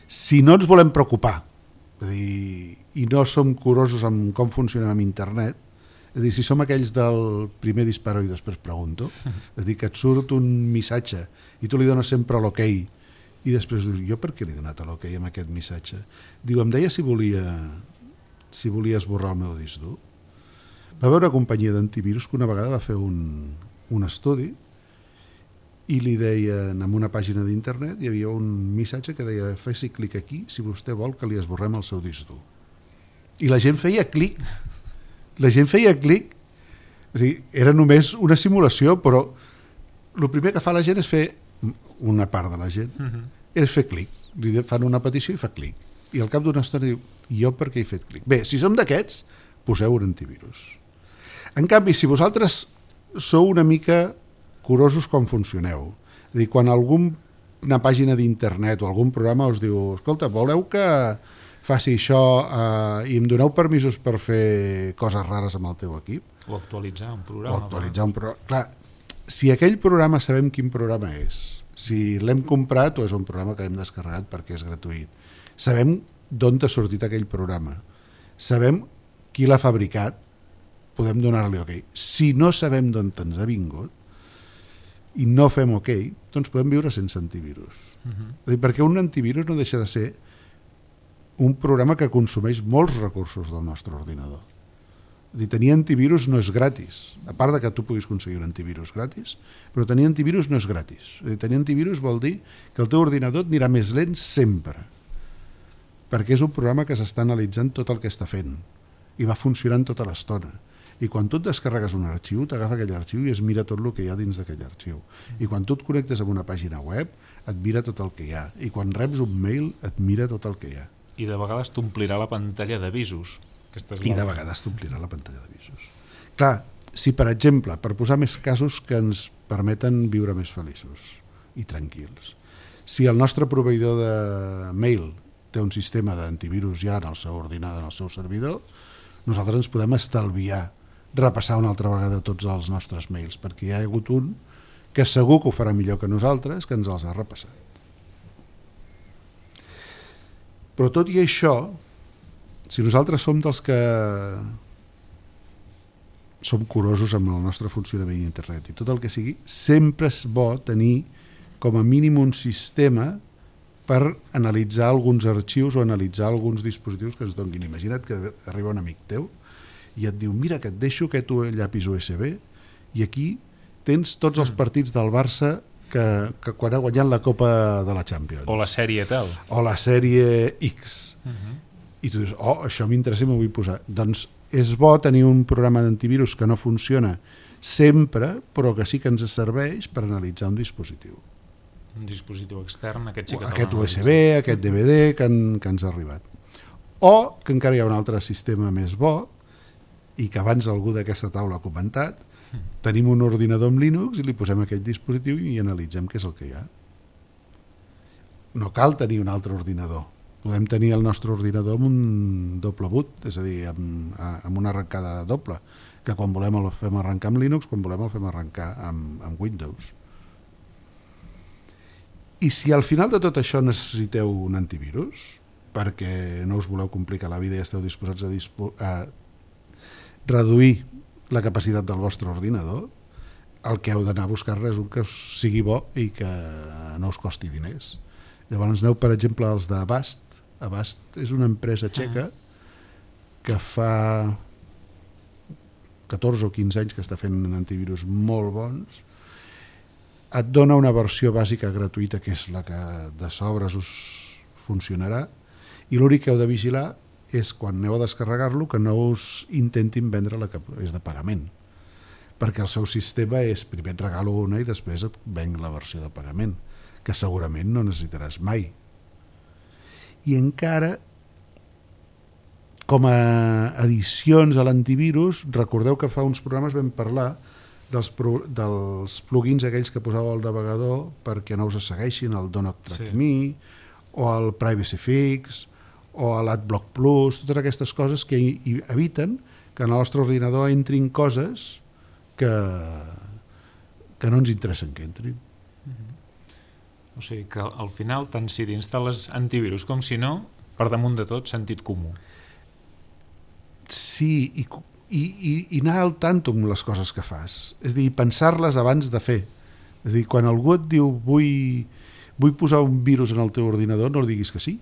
Si no ens volem preocupar, és a dir, i no som curosos amb com funcionem amb internet, és a dir, si som aquells del primer disparo i després pregunto, és a dir, que et surt un missatge i tu li dones sempre l'ok, i després dius, jo per què li he donat l'ok amb aquest missatge? Diu, em deia si volia si volia esborrar el meu disc dur. Va haver una companyia d'antivirus que una vegada va fer un, un estudi i li deien, en una pàgina d'internet hi havia un missatge que deia faci clic aquí si vostè vol que li esborrem el seu disc dur. I la gent feia clic. La gent feia clic. És a dir, era només una simulació, però el primer que fa la gent és fer, una part de la gent, uh-huh. és fer clic. Li fan una petició i fa clic. I al cap d'una estona diu, jo per què he fet clic? Bé, si som d'aquests, poseu un antivirus. En canvi, si vosaltres sou una mica curosos com funcioneu, és a dir, quan alguna pàgina d'internet o algun programa us diu, escolta, voleu que faci això eh, i em doneu permisos per fer coses rares amb el teu equip? O actualitzar un programa. O actualitzar un programa. Clar, si aquell programa sabem quin programa és, si l'hem comprat o és un programa que hem descarregat perquè és gratuït, sabem d'on t'ha sortit aquell programa, sabem qui l'ha fabricat, podem donar-li ok. Si no sabem d'on ens ha vingut i no fem ok, doncs podem viure sense antivirus. Uh-huh. És a dir, perquè un antivirus no deixa de ser un programa que consumeix molts recursos del nostre ordinador. És dir, tenir antivirus no és gratis, a part de que tu puguis aconseguir un antivirus gratis, però tenir antivirus no és gratis. És dir, tenir antivirus vol dir que el teu ordinador et anirà més lent sempre, perquè és un programa que s'està analitzant tot el que està fent i va funcionant tota l'estona. I quan tu et descarregues un arxiu, t'agafa aquell arxiu i es mira tot el que hi ha dins d'aquell arxiu. I quan tu et connectes amb una pàgina web, et mira tot el que hi ha. I quan reps un mail, et mira tot el que hi ha. I de vegades t'omplirà la pantalla d'avisos. I de vegades t'omplirà la pantalla d'avisos. Clar, si per exemple, per posar més casos que ens permeten viure més feliços i tranquils, si el nostre proveïdor de mail té un sistema d'antivirus ja en el seu ordinador, en el seu servidor, nosaltres ens podem estalviar repassar una altra vegada tots els nostres mails, perquè hi ha hagut un que segur que ho farà millor que nosaltres, que ens els ha repassat. Però tot i això, si nosaltres som dels que som curosos amb el nostre funcionament d'internet i tot el que sigui, sempre és bo tenir com a mínim un sistema per analitzar alguns arxius o analitzar alguns dispositius que ens donguin. Imagina't que arriba un amic teu i et diu, mira, que et deixo aquest llapis U S B i aquí tens tots els partits del Barça que, que quan ha guanyat la Copa de la Champions. O la sèrie tal. O la sèrie X. Uh-huh. I tu dius, oh, això m'interessa i m'ho vull posar. Doncs és bo tenir un programa d'antivirus que no funciona sempre, però que sí que ens serveix per analitzar un dispositiu. Un dispositiu extern, aquest sí que aquest U S B, aquest D V D que, en, que ens ha arribat. O que encara hi ha un altre sistema més bo i que abans algú d'aquesta taula ha comentat, tenim un ordinador amb Linux i li posem aquest dispositiu i analitzem què és el que hi ha. No cal tenir un altre ordinador. Podem tenir el nostre ordinador amb un doble boot, és a dir, amb, amb una arrencada doble, que quan volem el fem arrencar amb Linux, quan volem el fem arrencar amb, amb Windows. I si al final de tot això necessiteu un antivirus, perquè no us voleu complicar la vida i esteu disposats a, dispo a reduir la capacitat del vostre ordinador, el que heu d'anar a buscar és un que sigui bo i que no us costi diners. Llavors aneu, per exemple, als d'Avast. Avast és una empresa txeca que fa catorze o quinze anys que està fent antivirus molt bons. Et dona una versió bàsica gratuïta, que és la que de sobres us funcionarà, i l'únic que heu de vigilar és quan aneu a descarregar-lo que no us intentin vendre la que és de pagament, perquè el seu sistema és primer et regalo una i després et venc la versió de pagament, que segurament no necessitaràs mai. I encara, com a addicions a l'antivirus, recordeu que fa uns programes vam parlar dels, pro, dels plugins aquells que posàveu al navegador perquè no us segueixin, el Do Not Track Me, o el Privacy Fix, o l'AdBlock Plus, totes aquestes coses que eviten que en el nostre ordinador entrin coses que, que no ens interessen que entrin. O sigui que al final, tant si t'instal·les antivirus com si no, per damunt de tot, sentit comú. Sí, i, i, i, i anar al tanto amb les coses que fas. És a dir, pensar-les abans de fer. És a dir, quan algú et diu vull, vull posar un virus en el teu ordinador, no li diguis que sí.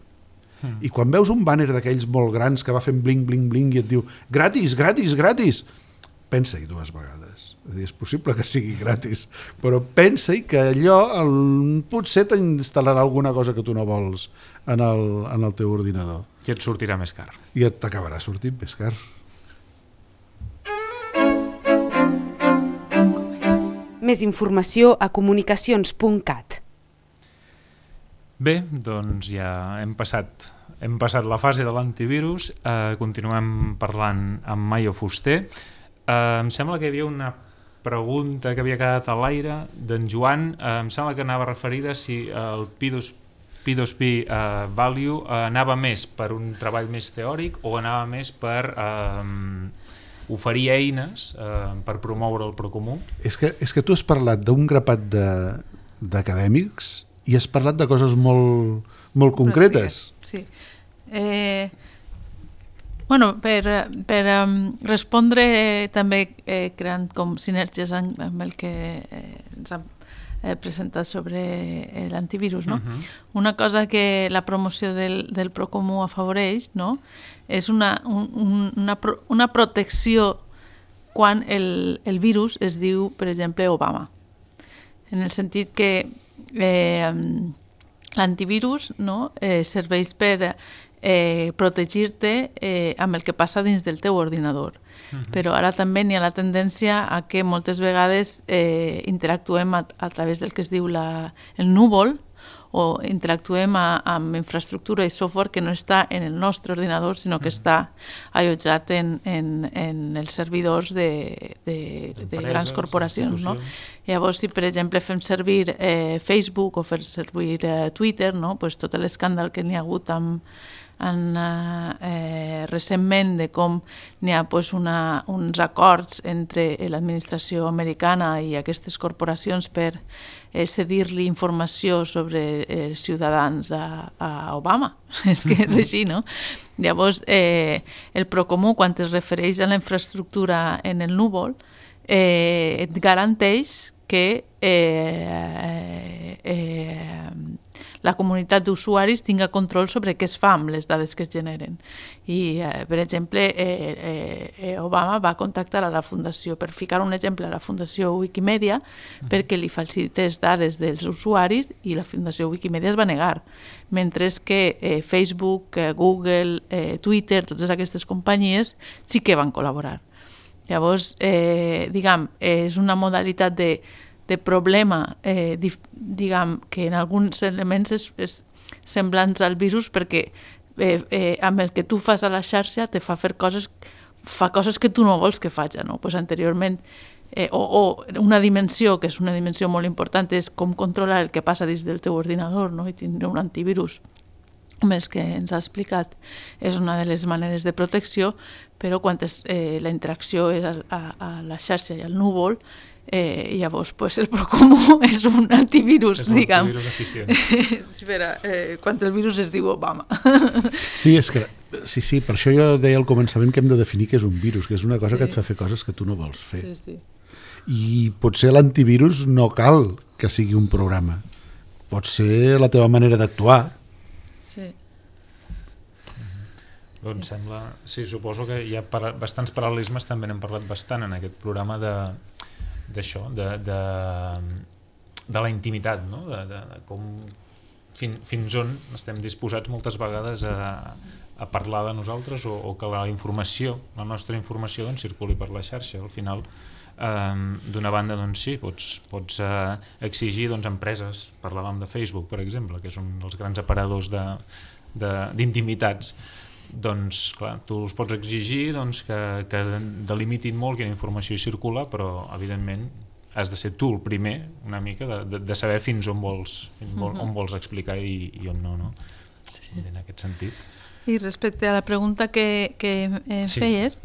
Mm. I quan veus un banner d'aquells molt grans que va fent bling, bling, bling i et diu gratis, gratis, gratis, pensa-hi dues vegades. És a dir, és possible que sigui gratis, però pensa-hi que allò el, potser t'instal·larà alguna cosa que tu no vols en el, en el teu ordinador. I et sortirà més car. I et t'acabarà sortint més car. Més informació a comunicacions punt cat. Bé, doncs ja hem passat, hem passat la fase de l'antivirus, eh, continuem parlant amb Mayo Fuster. Eh, em sembla que hi havia una pregunta que havia quedat a l'aire d'en Joan, eh, em sembla que anava referida si el P dos P eh, Value eh, anava més per un treball més teòric o anava més per eh, oferir eines eh, per promoure el procomú. És que, és que tu has parlat d'un grapat d'acadèmics i has parlat de coses molt, molt concretes. Sí. Eh, bueno, per, per um, respondre eh, també eh, creant com sinergies amb, amb el que eh, ens, ha, eh, presentat sobre eh, l'antivirus, no? Uh-huh. Una cosa que la promoció del, del Procomú afavoreix, no?, és una, un, una, una protecció quan el, el virus es diu, per exemple, Obama. En el sentit que eh, l'antivirus, no?, eh, serveix per eh, protegir-te eh, amb el que passa dins del teu ordinador. Uh-huh. Però ara també n'hi ha la tendència a que moltes vegades eh, interactuem a, a través del que es diu la, el núvol, o interactuem a, amb infraestructura i software que no està en el nostre ordinador, sinó que està allotjat en, en, en els servidors de, de, de grans corporacions. No? Llavors, si per exemple fem servir eh, Facebook o fer servir eh, Twitter, no? Pues tot l'escàndal que n'hi ha hagut amb en, eh, recentment de com n'hi ha pues, una, uns acords entre l'administració americana i aquestes corporacions per eh, cedir-li informació sobre els ciutadans a, a Obama. És que és així, no? Llavors, eh, el Procomú, quan es refereix a la infraestructura en el núvol, eh, et garanteix que eh, eh, la comunitat d'usuaris tinga control sobre què es fa amb les dades que es generen. I, eh, per exemple, eh, eh, Obama va contactar a la Fundació, per ficar un exemple, a la Fundació Wikimedia, uh-huh. perquè li facilités dades dels usuaris i la Fundació Wikimedia es va negar. Mentre que eh, Facebook, eh, Google, eh, Twitter, totes aquestes companyies sí que van col·laborar. Llavors, eh, diguem, eh, és una modalitat de de problema, eh, dif, diguem, que en alguns elements és, és semblants al virus perquè eh, eh, amb el que tu fas a la xarxa te fa fer coses, fa coses que tu no vols que faci, no? Pues anteriorment, eh, o, o una dimensió, que és una dimensió molt important, és com controlar el que passa dins del teu ordinador, no? I tindre un antivirus, amb els que ens ha explicat, és una de les maneres de protecció, però quan és, eh, la interacció és a, a, a la xarxa i al núvol, Eh, llavors pues, el Procomú és un antivirus, és un diguem. antivirus eficient. Espera, eh, quan el virus es diu Obama. Sí, és que, sí, sí, per això jo deia al començament que hem de definir què és un virus, que és una cosa sí. que et fa fer coses que tu no vols fer. Sí, sí. I potser l'antivirus no cal que sigui un programa. Pot ser la teva manera d'actuar. Sí. Doncs sembla... Sí, suposo que hi ha para... bastants paral·lelismes, també n'hem parlat bastant en aquest programa de d'això, de, de, de la intimitat, no? de, de, de com fin, fins on estem disposats moltes vegades a, a parlar de nosaltres o, o que la informació, la nostra informació doncs, circuli per la xarxa. Al final, eh, d'una banda, doncs sí, pots, pots eh, exigir doncs, empreses, parlàvem de Facebook, per exemple, que és un dels grans aparadors de, de, d'intimitats, doncs clar, tu els pots exigir doncs, que, que delimitin molt quina informació hi circula, però evidentment has de ser tu el primer una mica de, de, de saber fins on vols, fins on, on vols explicar i, i on no, no? Sí. En aquest sentit. I respecte a la pregunta que, que eh, sí. feies,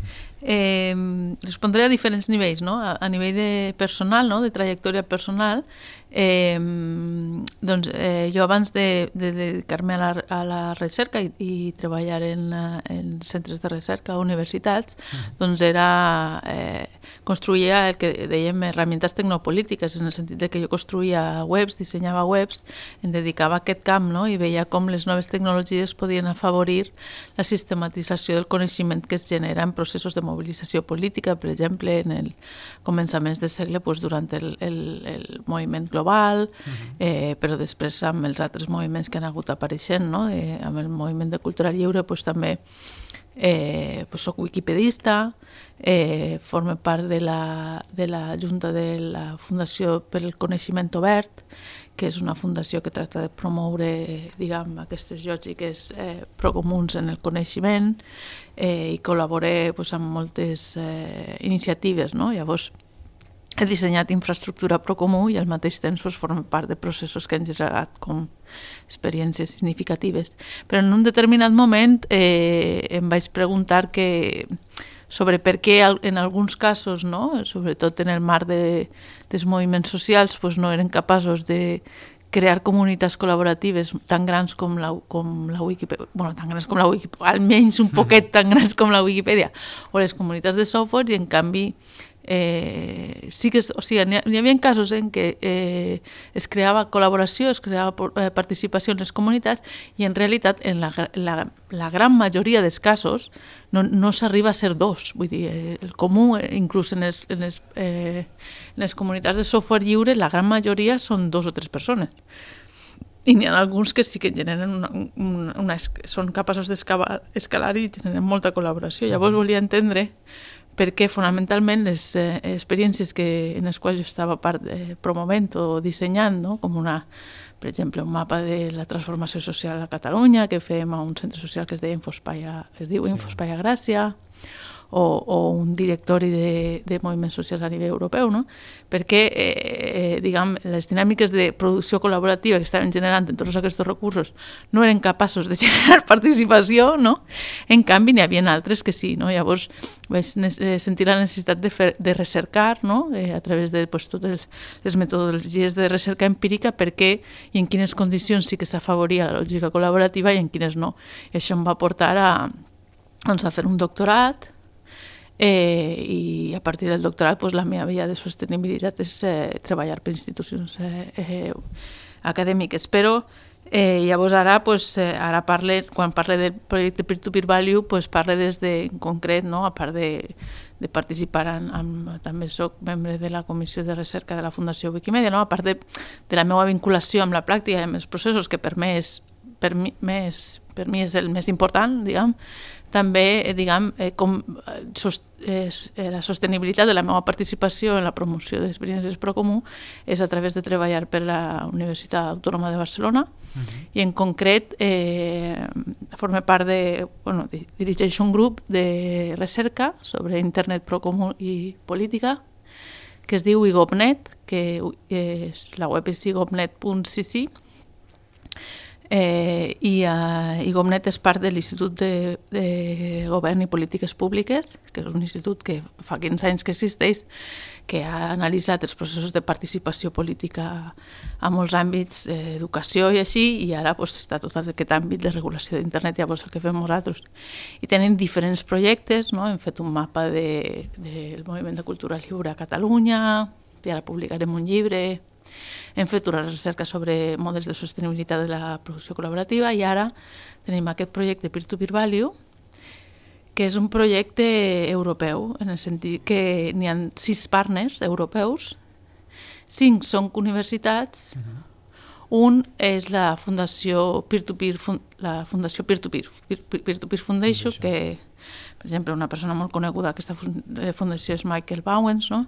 eh, respondré a diferents nivells, no? A, a nivell de personal, no? De trajectòria personal, eh, doncs eh, jo abans de, de dedicar-me a, la, a la recerca i, i treballar en, en centres de recerca a universitats, mm. doncs era eh, construïa el que dèiem herramientes tecnopolítiques, en el sentit de que jo construïa webs, dissenyava webs, em dedicava a aquest camp, no? I veia com les noves tecnologies podien afavorir la sistematització del coneixement que es genera en processos de mobilització política, per exemple, en el començaments del segle, doncs, durant el, el, el moviment global, uh-huh. eh, però després amb els altres moviments que han hagut apareixent, no? eh, amb el moviment de cultura lliure, doncs, també eh, doncs, soc wikipedista, eh, formo part de la, de la Junta de la Fundació per al Coneixement Obert, que és una fundació que tracta de promoure, diguem, aquestes lògiques eh, procomuns en el coneixement eh, i col·laboré pues, amb moltes eh, iniciatives, no? Llavors, he dissenyat infraestructura procomú i al mateix temps pues, formo part de processos que han generat com experiències significatives. Però en un determinat moment eh, em vaig preguntar que sobre per què en alguns casos, no? Sobretot en el marc de, dels moviments socials, pues no eren capaços de crear comunitats col·laboratives tan grans com la, com la Wikipedia, bueno, tan grans com la Wikipedia, almenys un poquet tan grans com la Wikipedia, o les comunitats de software, i en canvi Eh, sí que, o sigui, n'hi havia casos en què eh, es creava col·laboració, es creava eh, participació en les comunitats i en realitat en la, la, la gran majoria dels casos no, no s'arriba a ser dos. Vull dir, eh, el comú, eh, inclús en les, en, les, eh, en les comunitats de software lliure, la gran majoria són dos o tres persones. I n'hi ha alguns que sí que generen una, una, una, són capaços d'escalar i generen molta col·laboració. Llavors volia entendre perquè fonamentalment les eh, experiències que, en les quals jo estava part eh, promovent o dissenyant, no? Com una, per exemple, un mapa de la transformació social a Catalunya que fem a un centre social que es, deia Infospai a, es diu sí. Infospai a Gràcia, o, o un directori de, de moviments socials a nivell europeu, no? Perquè eh, diguem, les dinàmiques de producció col·laborativa que estaven generant en tots aquests recursos no eren capaços de generar participació, no? En canvi, n'hi havia altres que sí, no? Llavors vaig sentir la necessitat de, fer, de recercar, no? Eh, a través de pues, totes les metodologies de recerca empírica perquè i en quines condicions sí que s'afavoria la lògica col·laborativa i en quines no. I això em va portar a, doncs, a fer un doctorat. Eh, i a partir del doctorat pues, la meva via de sostenibilitat és eh, treballar per institucions eh, eh, acadèmiques, però eh, llavors ara, pues, eh, ara parle, quan parle del projecte Peer-to-Peer Value pues, parle des de, en concret, no? A part de, de participar en, en, també soc membre de la comissió de recerca de la Fundació Wikimedia, no? A part de, de la meva vinculació amb la pràctica i amb els processos, que per mi és, per mi, més, per mi és el més important, diguem, també, eh, diguem, eh, com sost, eh, la sostenibilitat de la meva participació en la promoció d'experiències Procomú és a través de treballar per la Universitat Autònoma de Barcelona uh-huh. i en concret eh, forme part de, bueno, dirigeixo un grup de recerca sobre internet Procomú i política que es diu igopnet, que és, la web és igopnet punt c c. Eh, i uh, igopnet és part de l'Institut de, de Govern i Polítiques Públiques, que és un institut que fa quinze anys que existeix, que ha analitzat els processos de participació política a molts àmbits, eh, educació i així, i ara pues, està tot aquest àmbit de regulació d'internet, llavors el que fem nosaltres. I tenen diferents projectes, no? Hem fet un mapa de, del moviment de cultura lliure a Catalunya, i ara publicarem un llibre. Hem fet una recerca sobre models de sostenibilitat de la producció col·laborativa i ara tenim aquest projecte Peer-to-Peer Value, que és un projecte europeu, en el sentit que n'hi ha sis partners europeus, cinc són universitats, uh-huh. un és la Fundació Peer-to-Peer, la Fundació Peer-to-Peer, Peer-to-Peer Foundation, que, per exemple, una persona molt coneguda d'aquesta fundació és Michael Bowens, no?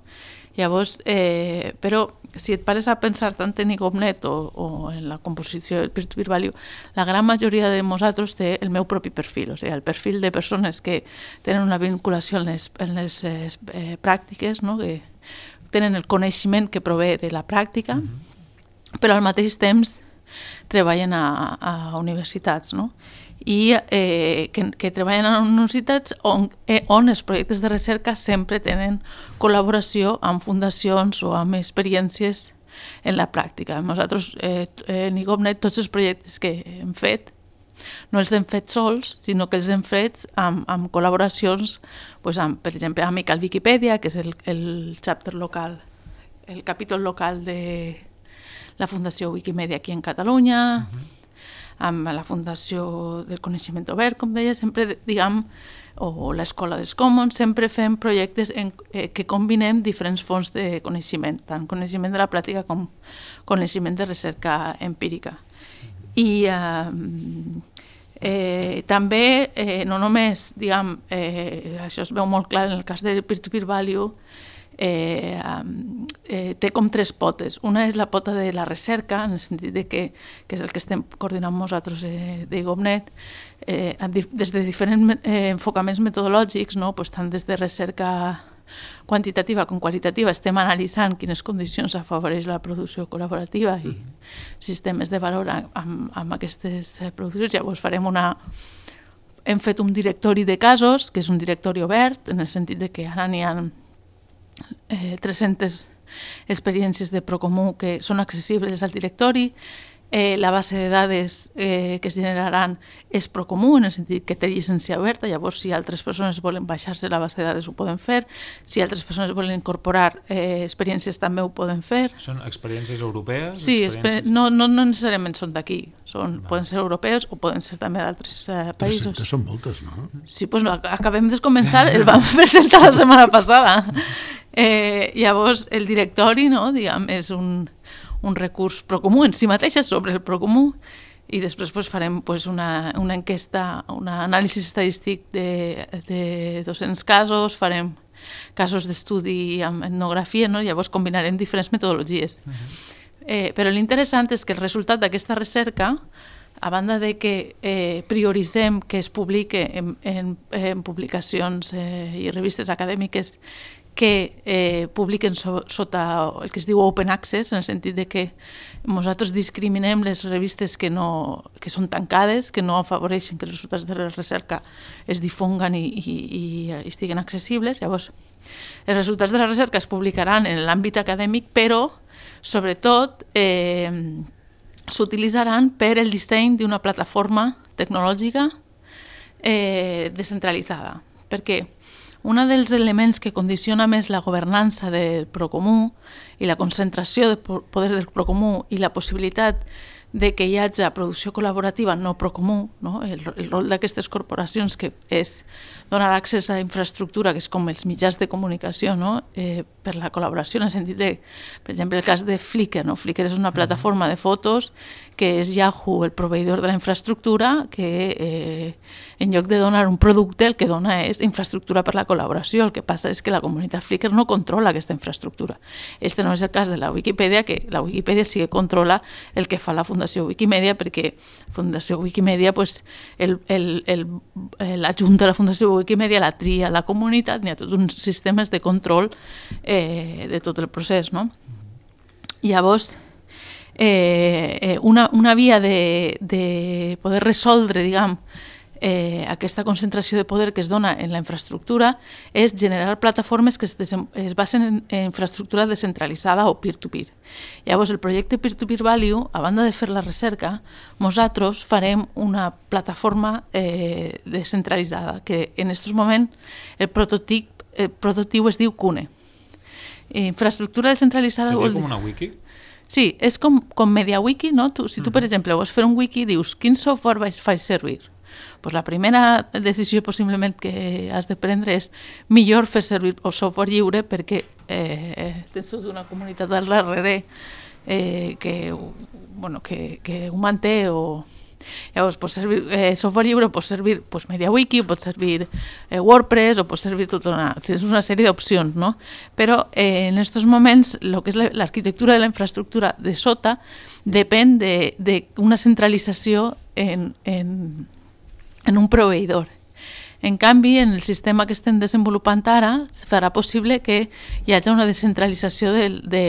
Llavors, eh, però si et pares a pensar tant en igopnet o, o en la composició del Peer-to-Peer Value, la gran majoria de nosaltres té el meu propi perfil, o sigui, el perfil de persones que tenen una vinculació en les, en les eh, pràctiques, no? Que tenen el coneixement que prové de la pràctica, mm-hmm. però al mateix temps treballen a, a universitats, no? i eh, que, que treballen en universitats on, eh, on els projectes de recerca sempre tenen col·laboració amb fundacions o amb experiències en la pràctica. Nosaltres, eh, en igopnet, tots els projectes que hem fet, no els hem fet sols, sinó que els hem fet amb, amb col·laboracions, doncs amb, per exemple, amb Amical Wikipedia, que és el, el chapter local, el capítol local de la Fundació Wikimedia aquí en Catalunya, uh-huh. amb la Fundació del Coneixement Obert, com deia, sempre, diguem, o l'Escola dels Commons, sempre fem projectes en, eh, que combinem diferents fonts de coneixement, tant coneixement de la pràctica com coneixement de recerca empírica. I eh, eh, també, eh, no només, diguem, eh, això es veu molt clar en el cas del Peer-to-Peer Value, Eh, eh, té com tres potes. Una és la pota de la recerca, en el sentit de que, que és el que estem coordinant nosaltres eh, d'igopnet, eh, des de diferents eh, enfocaments metodològics, no? Pues, tant des de recerca quantitativa com qualitativa, estem analitzant quines condicions afavoreix la producció col·laborativa i sistemes de valor amb, amb aquestes produccions. Llavors farem una... Hem fet un directori de casos, que és un directori obert, en el sentit de que ara n'hi ha Eh, tres-centes experiències de Procomú que són accessibles al directori. Eh, la base de dades eh, que es generaran és Procomú, en el sentit que té llicència oberta, llavors si altres persones volen baixar-se la base de dades ho poden fer, si altres persones volen incorporar eh, experiències també ho poden fer. Són experiències europees? Sí, experiències... no, no, no necessàriament són d'aquí, són, poden ser europeus o poden ser també d'altres eh, països. tres cents són moltes, no? Sí, doncs no, acabem de començar, el vam presentar la setmana passada. Eh, llavors, el directori, no, diguem, és un, un recurs Procomú en si mateixa sobre el Procomú, i després pues, farem pues, una, una enquesta, un anàlisi estadístic de, de dos-cents casos, farem casos d'estudi amb etnografia, no? Llavors combinarem diferents metodologies. Uh-huh. eh, però l'interessant és que el resultat d'aquesta recerca, a banda de que eh, prioritzem que es publique en, en, en publicacions eh, i revistes acadèmiques que eh, publiquen so, sota el que es diu open access, en el sentit de que nosaltres discriminem les revistes que, no, que són tancades, que no afavoreixen que els resultats de la recerca es difonguen i, i, i estiguen accessibles. Llavors, els resultats de la recerca es publicaran en l'àmbit acadèmic, però, sobretot, eh, s'utilitzaran per el disseny d'una plataforma tecnològica eh, descentralitzada. Perquè un dels elements que condiciona més la governança del Procomú i la concentració de poder del Procomú i la possibilitat de que hi hagi producció col·laborativa no Procomú, no? El, el rol d'aquestes corporacions que és donar accés a infraestructura, que és com els mitjans de comunicació, no? eh, per la col·laboració, en el sentit de, per exemple, el cas de Flickr. No? Flickr és una plataforma de fotos que és Yahoo, el proveïdor de la infraestructura, que eh, en lloc de donar un producte, el que dona és infraestructura per la col·laboració. El que passa és que la comunitat Flickr no controla aquesta infraestructura. Este no és el cas de la Wikipedia, que la Wikipedia sí que controla el que fa la Fundació Wikimedia, perquè Fundació Wikimedia, pues, el, el, el, la Junta de la Fundació Wikimedia la tria la comunitat, n'hi ha tots uns sistemes de control eh, de tot el procés, no? Llavors, eh, una, una via de, de poder resoldre, diguem, eh, aquesta concentració de poder que es dona en la infraestructura és generar plataformes que es, es basen en, en infraestructura descentralitzada o peer-to-peer. Llavors, el projecte Peer-to-Peer Value, a banda de fer la recerca, nosaltres farem una plataforma eh, descentralitzada, que en aquests moments el prototip, el prototip es diu Cune. Infraestructura descentralitzada Seria vol dir... com una wiki? Sí, és com, com MediaWiki, no? Tu, si tu, per exemple, vols fer un wiki, dius, quin software faig servir? Pues la primera decisió possiblement que has de prendre és millor fer servir el software lliure perquè eh, tens tota una comunitat al darrere eh, que, bueno, que, que ho manté o... Llavors, pot servir, eh, software lliure pot servir pues, MediaWiki, pot servir eh, WordPress o pot servir tota una, tens una sèrie d'opcions, no? Però eh, en aquests moments el que és l'arquitectura de la infraestructura de sota depèn d'una centralització en, en, en un proveïdor. En canvi, en el sistema que estem desenvolupant ara, farà possible que hi hagi una descentralització de, de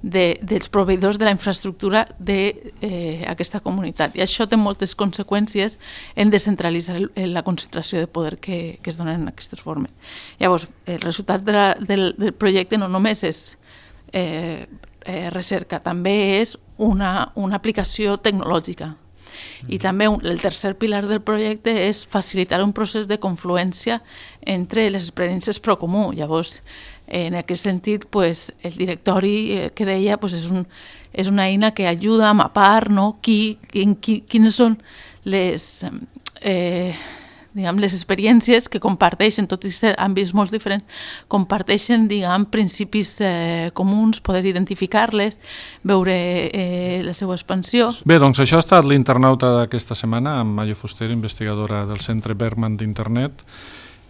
De, dels proveïdors de la infraestructura d'aquesta eh, comunitat. I això té moltes conseqüències en descentralitzar el, la concentració de poder que, que es donen en aquestes formes. Llavors, el resultat de la, del, del projecte no només és eh, eh, recerca, també és una, una aplicació tecnològica. I també un, el tercer pilar del projecte és facilitar un procés de confluència entre les experiències Procomú. Llavors, en aquest sentit, pues, el directori que deia pues, és, un, és una eina que ajuda a mapar, no? qui, qui, quines són les, eh, diguem, les experiències que comparteixen, tot i ser àmbits molt diferents, comparteixen diguem, principis eh, comuns, poder identificar-les, veure eh, la seva expansió. Bé, doncs això ha estat l'internauta d'aquesta setmana amb Mayo Fuster, investigadora del Centre Bergman d'Internet,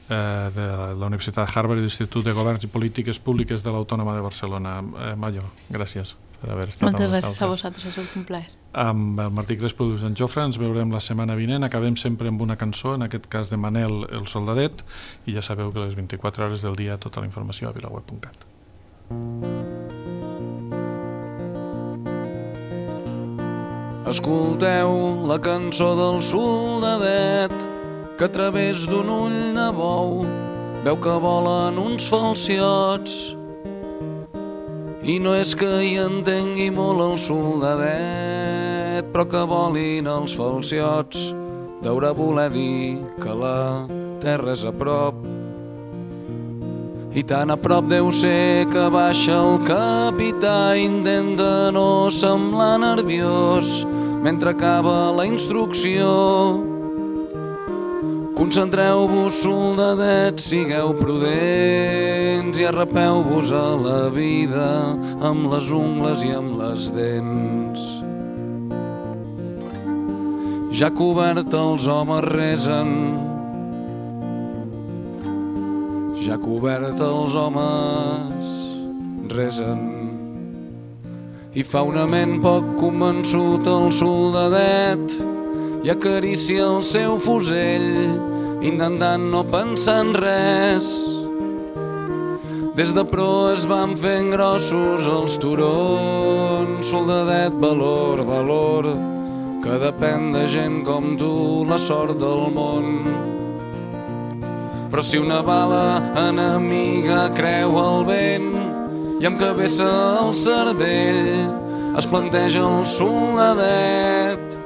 Eh, de la Universitat de Harvard i l'Institut de Governs i Polítiques Públiques de l'Autònoma de Barcelona. Eh, Mayo, gràcies per haver estat Moltes amb gràcies a vosaltres, ha sigut un plaer. Amb el Martí Crespo i en Jofre ens veurem la setmana vinent. Acabem sempre amb una cançó, en aquest cas de Manel el Soldadet, i ja sabeu que a les vint-i-quatre hores del dia tota la informació a vilaweb punt cat. Escolteu la cançó del Soldadet, que a través d'un ull de bou veu que volen uns falciots I no és que hi entengui molt el soldadet, però que volin els falciots deurà voler dir que la terra és a prop. I tan a prop deu ser que baixa el capità, intenta no semblar nerviós mentre acaba la instrucció. Concentreu-vos, soldadets, sigueu prudents i arrapeu-vos a la vida amb les ungles i amb les dents. Ja cobert els homes resen, ja cobert els homes resen. I fa una ment poc convençut el soldadet i acaricia el seu fusell, intentant no pensar en res. Des de proa es van fent grossos els turons. Soldadet, valor, valor, que depèn de gent com tu la sort del món. Però si una bala enemiga creu el vent i amb cabeza al cervell es planteja el soldadet,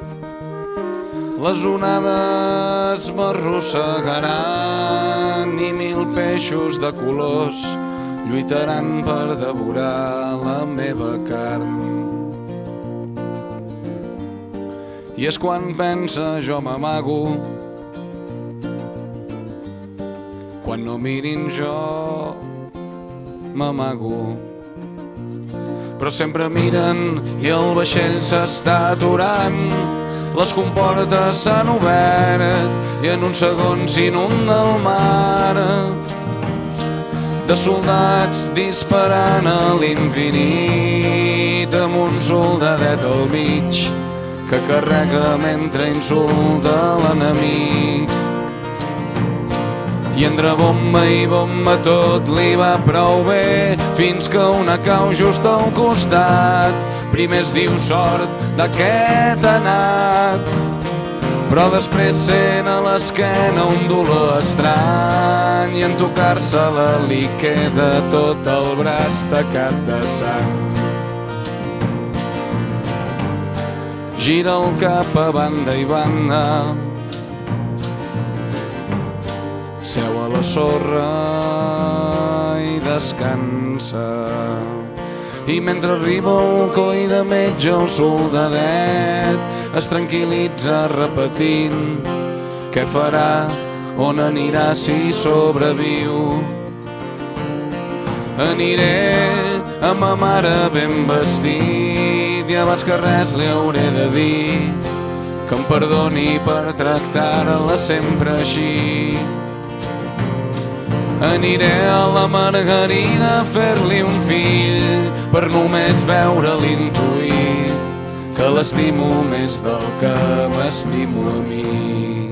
les onades m'arrossegaran i mil peixos de colors lluitaran per devorar la meva carn. I és quan pensa jo m'amago, quan no mirin jo m'amago. Però sempre miren i el vaixell s'està aturant, les comportes s'han obert i en un segon s'inunda el mar de soldats disparant a l'infinit amb un soldadet al mig que carrega mentre insulta l'enemic. I entre bomba i bomba tot li va prou bé fins que una cau just al costat. Primer es diu sort d'aquest anat, però després sent a l'esquena un dolor estrany i en tocar-se-la li queda tot el braç tacat de sang. Gira el cap a banda i banda, seu a la sorra i descansa. I mentre arriba el coi de metge el soldadet es tranquil·litza repetint què farà, on anirà si sobreviu. Aniré amb ma mare ben vestit i abans que res li hauré de dir que em perdoni per tractar-la sempre així. Aniré a la Margarida a fer-li un fill per només veure-li intuir que l'estimo més del que m'estimo a mi.